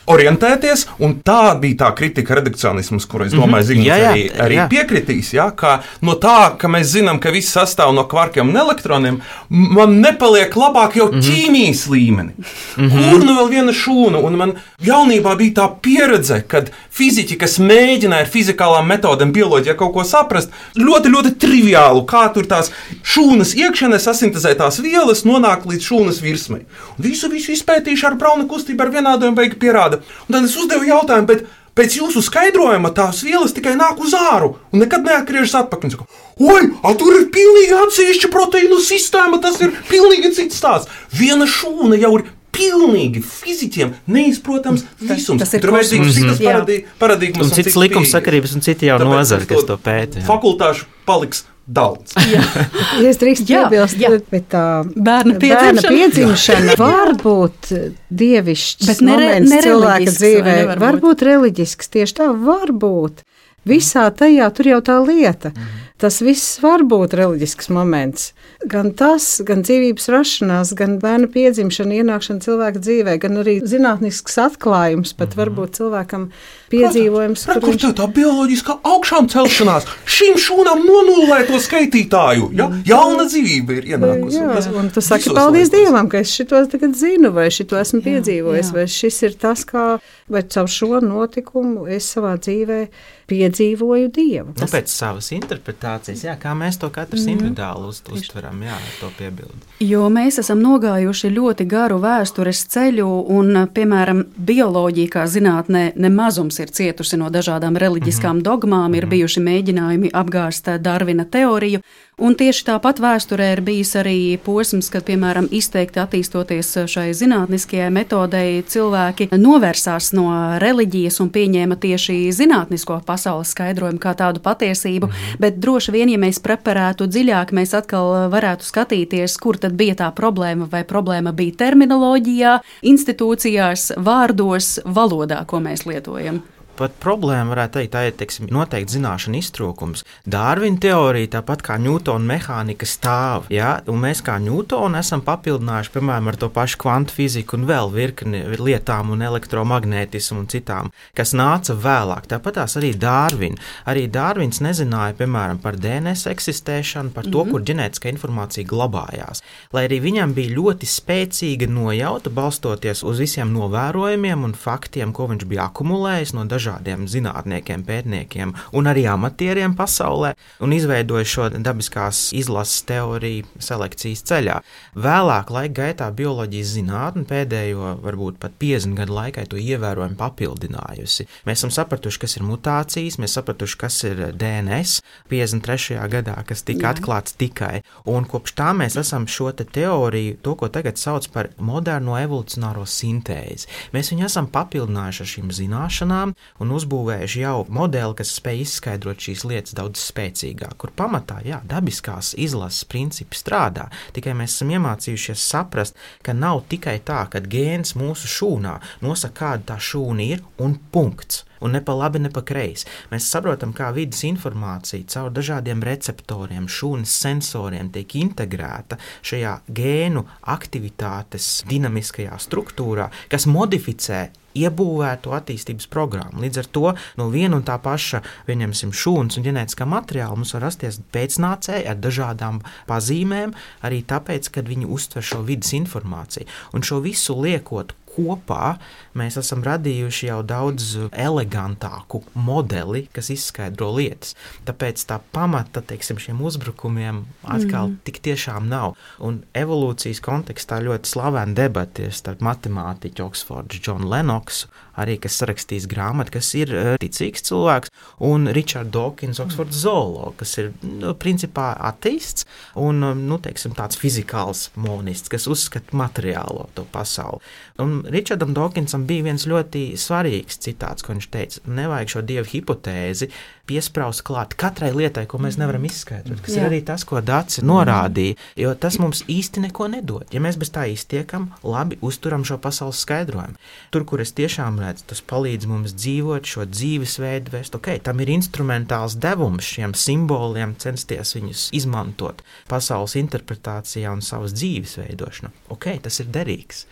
orientēties, un tā bija tā kritika redukcionisms, kur es domāju, Zigmunds arī piekritīs, ka no tā, ka mēs zinām, ka viss sastāv no kvarkiem un elektroniem, man nepaliek labāk jau ķīmijas līmeni. Kur nu vēl viena šūna, un man jaunībā bija tā pieredze, kad fiziķi, kas mēģināja ar fizikālām metodēm bioloģijā kaut ko saprast, ļoti, ļoti triviālu, kā tur tās šūnas iekšienē sasintezētās vielas nonāk līdz šūnas virsmai. Un visu izpētīšu ar Brauna kustību, ar vienādojumu beigi pierāda. Un tad es uzdevu jautājumu, bet pēc jūsu skaidrojuma tās vielas tikai nāk uz āru un nekad neatgriežas atpakaļ. Oi, tur ir pilnīgi atsevišķa proteīnu sistēma, tas ir pilnīgi cits stāsts. Viena šūna jau ir pilnīgi fiziķiem neizprotams visums. Tas ir tur vajadzīgs citas paradigmas un cits likumsakarības un citi jau nozari, kas to pēta. Fakultāšu paliks daudz. Es drīkst piebilst, bet tā bērna piedzimšana var būt dievišķs moments cilvēka dzīvē, var būt reliģisks, tieši tā var būt. Visā tajā tur jau tā lieta. Tas viss var būt reliģisks moments. Gan tas, gan dzīvības rašanās, gan bērna piedzimšana, ienākšana cilvēka dzīvē, gan arī zinātnisks atklājums, pat varbūt cilvēkam piedzīvojums. Kur tev tā bioloģiskā augšām celšanās? Šīm šūnām nonullē to skaitītāju. Jauna dzīvība ir ienākusi. Un tu saki, paldies Dievam, ka es šito tagad zinu, vai šito esmu piedzīvojis, vai šis ir tas, vai caur šo notikumu es savā dzīvē piedzīvoju Dievu. Pēc savas interpretācijas, kā mēs to katrs individuāli uztveram, to piebildi. Jo mēs esam nogājuši ļoti garu vēstures ceļu, un, piemēram, bioloģija kā zinātnē nemazums ir cietusi no dažādām reliģiskām dogmām, ir bijuši mēģinājumi apgāzt Darvina teoriju, un tieši tāpat vēsturē ir bijis arī posms, kad, piemēram, izteikti attīstoties šai zinātniskajai metodei, cilvēki novērsās no reliģijas un pieņēma tieši zinātnisko pasaules skaidrojumu kā tādu patiesību, bet droši vien, ja mēs preparētu dziļāk, mēs atkal varētu skatīties, kur tad bija tā problēma, vai problēma bija terminoloģijā, institūcijās, vārdos, valodā, ko mēs lietojam. Pat problēma varētu teikt, tā ir noteikti zināšana iztrūkums. Darvina teorija, tāpat kā Ņūtona mehānika, stāv. Un mēs kā Ņūtonu esam papildinājuši, piemēram, ar to pašu kvantu fiziku un vēl virkni lietām un elektromagnētismu un citām, kas nāca vēlāk. Tāpat tās arī Darvina. Arī Darvins nezināja, piemēram, par DNS eksistēšanu, par to, kur ģenētiskā informācija glabājās. Lai arī viņam bija ļoti spēcīga nojauta, balstoties uz visiem novērojumiem un faktiem, ko viņš bija akumulējis no dažādiem zinātniekiem, pētniekiem un arī amatieriem pasaulē, un izveidoja šo dabiskās izlases teoriju selekcijas ceļā. Vēlāk laika gaitā bioloģijas zinātne pēdējo, varbūt pat 50 gadu laikā to ievērojami papildinājusi. Mēs esam sapratuši, kas ir mutācijas, mēs sapratuši, kas ir DNS 53. gadā, kas tika atklāts tikai, un kopš tā mēs esam šo teoriju, to, ko tagad sauc par moderno evolucionāro sintēzi. Mēs viņu esam papildinājuši ar šīm zināšanām un uzbūvējuši jau modeli, kas spēj izskaidrot šīs lietas daudz spēcīgāk, kur pamatā, dabiskās izlases principi strādā, tikai mēs esam iemācījušies saprast, ka nav tikai tā, ka gēns mūsu šūnā nosaka, kāda tā šūna ir un punkts. Un ne pa labi, ne pa kreisi. Mēs saprotam, kā vidas informācija caur dažādiem receptoriem, šūnas sensoriem tiek integrēta šajā gēnu aktivitātes dinamiskajā struktūrā, kas modificē iebūvēto attīstības programmu. Līdz ar to no viena un tā paša, pieņemsim, šūnas un ģenētiskā materiāla mums var rasties pēcnācēji ar dažādām pazīmēm, arī tāpēc, kad viņi uztver šo vidas informāciju. Un šo visu liekot kopā, mēs esam radījuši jau daudz elegantāku modeli, kas izskaidro lietas. Tāpēc tā pamata, šiem uzbrukumiem atkal tik tiešām nav. Un evolūcijas kontekstā ļoti slavena debata starp matemātiķu Oksfords John Lennoxu, arī kas sarakstījis grāmatu, kas ir ticīgs cilvēks, un Richard Dawkins, Oksfords zoologs, kas ir principā ateists un tāds fizikāls monists, kas uzskata materiālo to pasauli. Un Richardam Dawkinsam bija viens ļoti svarīgs citāts, ko viņš teica, nevajag šo dievu hipotēzi piespraust klāt katrai lietai, ko mēs nevaram izskaidrot, kas ir arī tas, ko Dace norādīja, jo tas mums īsti neko nedod. Ja mēs bez tā iztiekam, labi uzturam šo pasaules skaidrojumu. Tur, kur es tiešām redzu, tas palīdz mums dzīvot šo dzīvesveidu vest, tam ir instrumentāls devums šiem simboliem, censties viņus izmantot pasaules interpretācijā un savas dzīves veidošanā. Tas ir derīgs.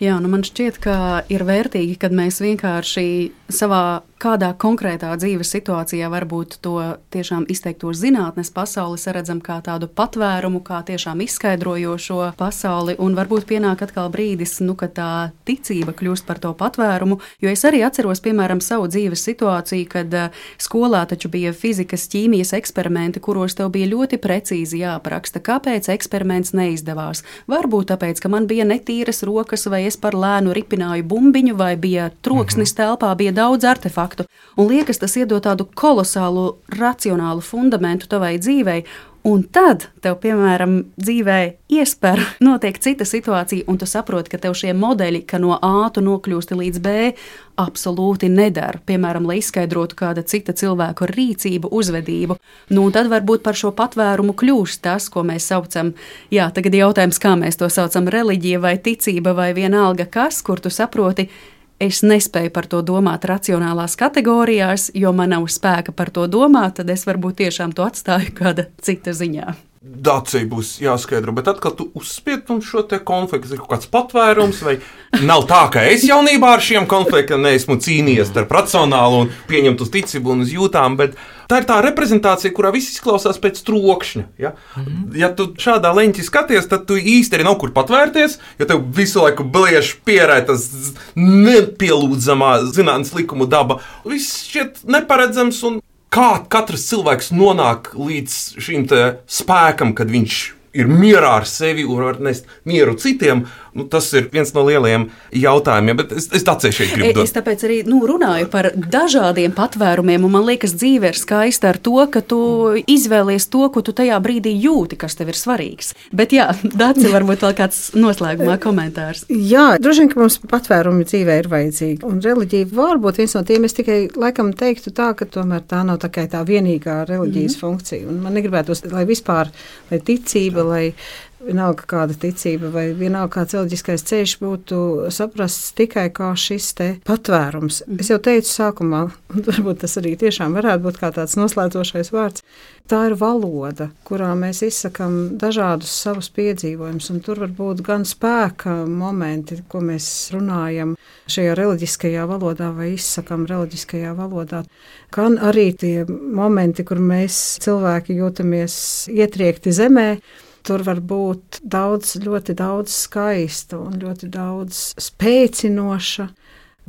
Jā, man šķiet, ka ir vērtīgi, kad mēs vienkārši savā kādā konkrētā dzīves situācijā varbūt to tiešām izteikto zinātnes pasauli saredzam kā tādu patvērumu, kā tiešām izskaidrojošo pasauli, un varbūt pienāk atkal brīdis, kad tā ticība kļūst par to patvērumu, jo es arī atceros, piemēram, savu dzīves situāciju, kad skolā taču bija fizikas, ķīmijas eksperimenti, kuros tev bija ļoti precīzi jāapraksta, kāpēc eksperiments neizdevās. Varbūt tāpēc, ka man bija netīras rokas, vai es par lēnu ripināju bumbiņu, vai bija troksnis telpā, bija daudz artefaktu. Un liekas, tas iedod tādu kolosālu, racionālu fundamentu tavai dzīvei, un tad tev, piemēram, dzīvē iesper, notiek cita situācija, un tu saproti, ka tev šie modeļi, ka no A tu nokļūsti līdz B, absolūti nedara. Piemēram, lai izskaidrotu kāda cita cilvēku rīcību, uzvedību. Un tad varbūt par šo patvērumu kļūst tas, ko mēs saucam, tagad jautājums, kā mēs to saucam, reliģija vai ticība vai vienalga kas, kur tu saproti, es nespēju par to domāt racionālās kategorijās, jo man nav spēka par to domāt, tad es varbūt tiešām to atstāju kāda cita ziņā. Dacija būs jāskaidro, bet atkal tu uzspied šo te konfliktu, ir kaut kāds patvērums, vai nav tā, ka es jaunībā ar šiem konfliktiem neesmu cīnījies starp racionālu un pieņemt uz ticību un uz jūtām, bet tā ir tā reprezentācija, kurā viss izklausās pēc trokšņa. Ja, ja tu šādā leņķī skaties, tad tu īsti arī nav kur patvērties, jo tev visu laiku bliež pierē tas nepielūdzamā zinātnes likumu daba. Viss šķiet neparedzams un kā katrs cilvēks nonāk līdz šim spēkam, kad viņš ir mierā ar sevi un var nest mieru citiem, tas ir viens no lielajiem jautājumiem, bet es Dacei šeit gribu dot. Es tāpēc arī runāju par dažādiem patvērumiem, un man liekas, dzīve ir skaista ar to, ka tu izvēlies to, ko tu tajā brīdī jūti, kas tev ir svarīgs. Bet Dace, varbūt vēl kāds noslēgumā komentārs. Jā, droši vien, ka mums patvērumi dzīvē ir vajadzīgi, un reliģija varbūt viens no tiem, es tikai laikam teiktu tā, ka tomēr tā nav tā vienīgā reliģijas funkcija, un man negribētos, lai vispār, lai ticība, lai vienalga kāda ticība vai vienalga kāds reliģiskais ceļš būtu saprasts tikai kā šis te patvērums. Es jau teicu sākumā, un varbūt tas arī tiešām varētu būt kā tāds noslēdzošais vārds, tā ir valoda, kurā mēs izsakam dažādus savus piedzīvojumus, un tur var būt gan spēka momenti, ko mēs runājam šajā reliģiskajā valodā vai izsakam reliģiskajā valodā, gan arī tie momenti, kur mēs cilvēki jūtamies ietriekti zemē. Tur var būt ļoti daudz skaista un ļoti daudz spēcinoša,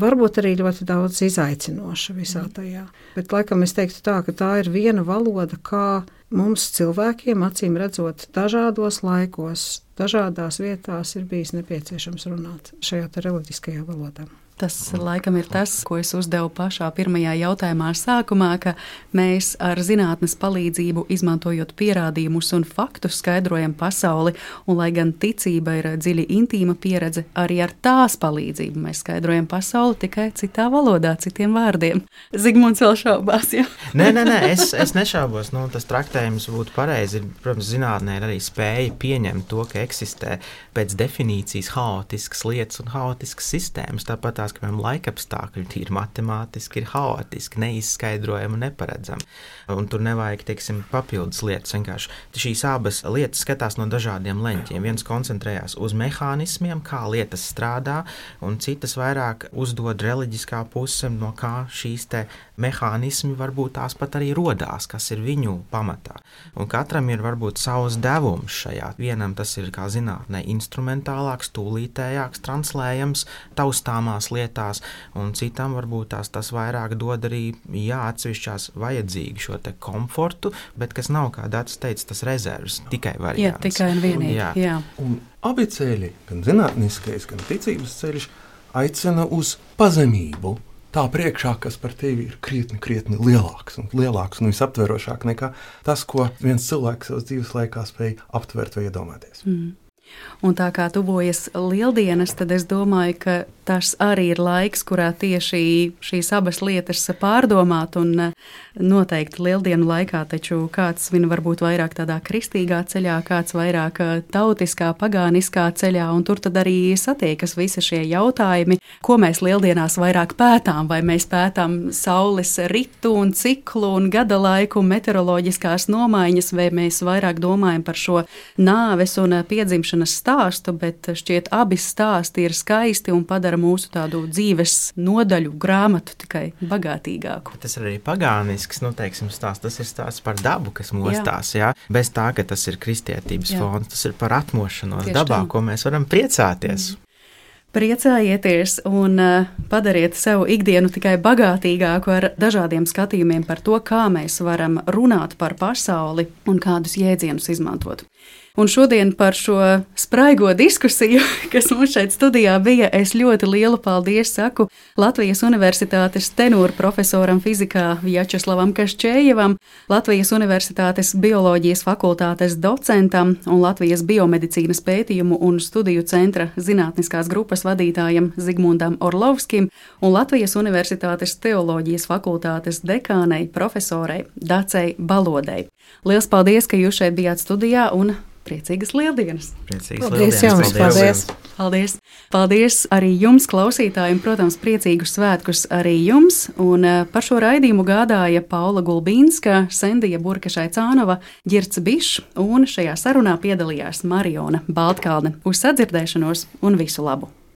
varbūt arī ļoti daudz izaicinoša visā tajā. Bet laikam es teiktu tā, ka tā ir viena valoda, kā mums cilvēkiem, acīm redzot, dažādos laikos, dažādās vietās ir bijis nepieciešams runāt šajā reliģiskajā valodā. Tas laikam ir tas, ko es uzdevu pašā pirmajā jautājumā sākumā, ka mēs ar zinātnes palīdzību, izmantojot pierādījumus un faktus, skaidrojam pasauli, un lai gan ticība ir dziļi intīma pieredze, arī ar tās palīdzību mēs skaidrojam pasauli tikai citā valodā, citiem vārdiem. Zigmunds vēl šaubās, jā? Nē, es nešaubos. Tas traktējums būtu pareizi. Protams, zinātnē ir arī spēja pieņemt to, ka eksistē pēc definīcijas haotiskas lietas un haotiskas sistēmas. Tāpat tās, ka laikapstākļi tīri matemātiski ir haotiski, neizskaidrojami un neparedzami. Un tur nevajag, papildus lietas. Vienkārši šīs abas lietas skatās no dažādiem leņķiem. Viens koncentrējās uz mehānismiem, kā lietas strādā, un citas vairāk uzdod reliģiskā puse, no kā šīs te mehānismi varbūt tās pat arī rodās, kas ir viņu pamatā. Un katram ir varbūt savs devums šajā. Vienam tas ir, kā zinātnē, instrumentālāks, tūlītējāks, translējams, taustāmās lietās, un citam varbūt tas vairāk dod arī atsevišķās vajadzīgi šo te komfortu, bet kas nav, kā Dats teica, tas rezervs, tikai variants. Jā, tikai un vienīgi. Jā. Un abi ceļi, gan zinātniskais, gan ticības ceļš, aicina uz pazemību. Tā priekšā, kas par tevi ir krietni lielāks un visaptverošāk nekā tas, ko viens cilvēks savas dzīves laikā spēj aptvert vai iedomāties. Un tā kā tuvojas Lieldienas, tad es domāju, ka tas arī ir laiks, kurā tieši šīs abas lietas pārdomāt. Un noteikti Lieldienu laikā taču kāds svin varbūt vairāk tādā kristīgā ceļā, kāds vairāk tautiskā, pagāniskā ceļā. Un tur tad arī satiekas visi šie jautājumi, ko mēs Lieldienās vairāk pētām. Vai mēs pētām saules ritu un ciklu un gada laiku, meteoroloģiskās nomaiņas, vai mēs vairāk domājam par šo nāves un piedzimšanas stāstu, bet šķiet abi stāsti ir skaisti un padara mūsu tādu dzīves nodaļu grāmatu tikai bagātīgāku. Tas ir arī pagānisks, stāsts. Tas ir stāsts par dabu, kas mostās, jā. Bez tā, ka tas ir kristietības fons, tas ir par atmošanos tieši dabā, ko mēs varam priecāties. Priecājieties un padariet sev ikdienu tikai bagātīgāku ar dažādiem skatījumiem par to, kā mēs varam runāt par pasauli un kādus jēdzienus izmantot. Un šodien par šo spraigo diskusiju, kas mums šeit studijā bija, es ļoti lielu paldies saku Latvijas Universitātes tenūra profesoram fizikā Vjačeslavam Kaščējevam, Latvijas Universitātes bioloģijas fakultātes docentam un Latvijas biomedicīnas pētījumu un studiju centra zinātniskās grupas vadītājam Zigmundam Orlovskim un Latvijas Universitātes teoloģijas fakultātes dekānei profesorei Dacei Balodei. Liels paldies, ka jūs šeit bijāt studijā un priecīgas Lieldienas! Paldies jums! Paldies! Paldies! Paldies arī jums, klausītāji, un, protams, priecīgus svētkus arī jums. Un par šo raidījumu gādāja Paula Gulbīnska, Sendija Burkašai-Cānova, Ģirds Bišs, un šajā sarunā piedalījās Mariona Baltkalne. Uz sadzirdēšanos un visu labu!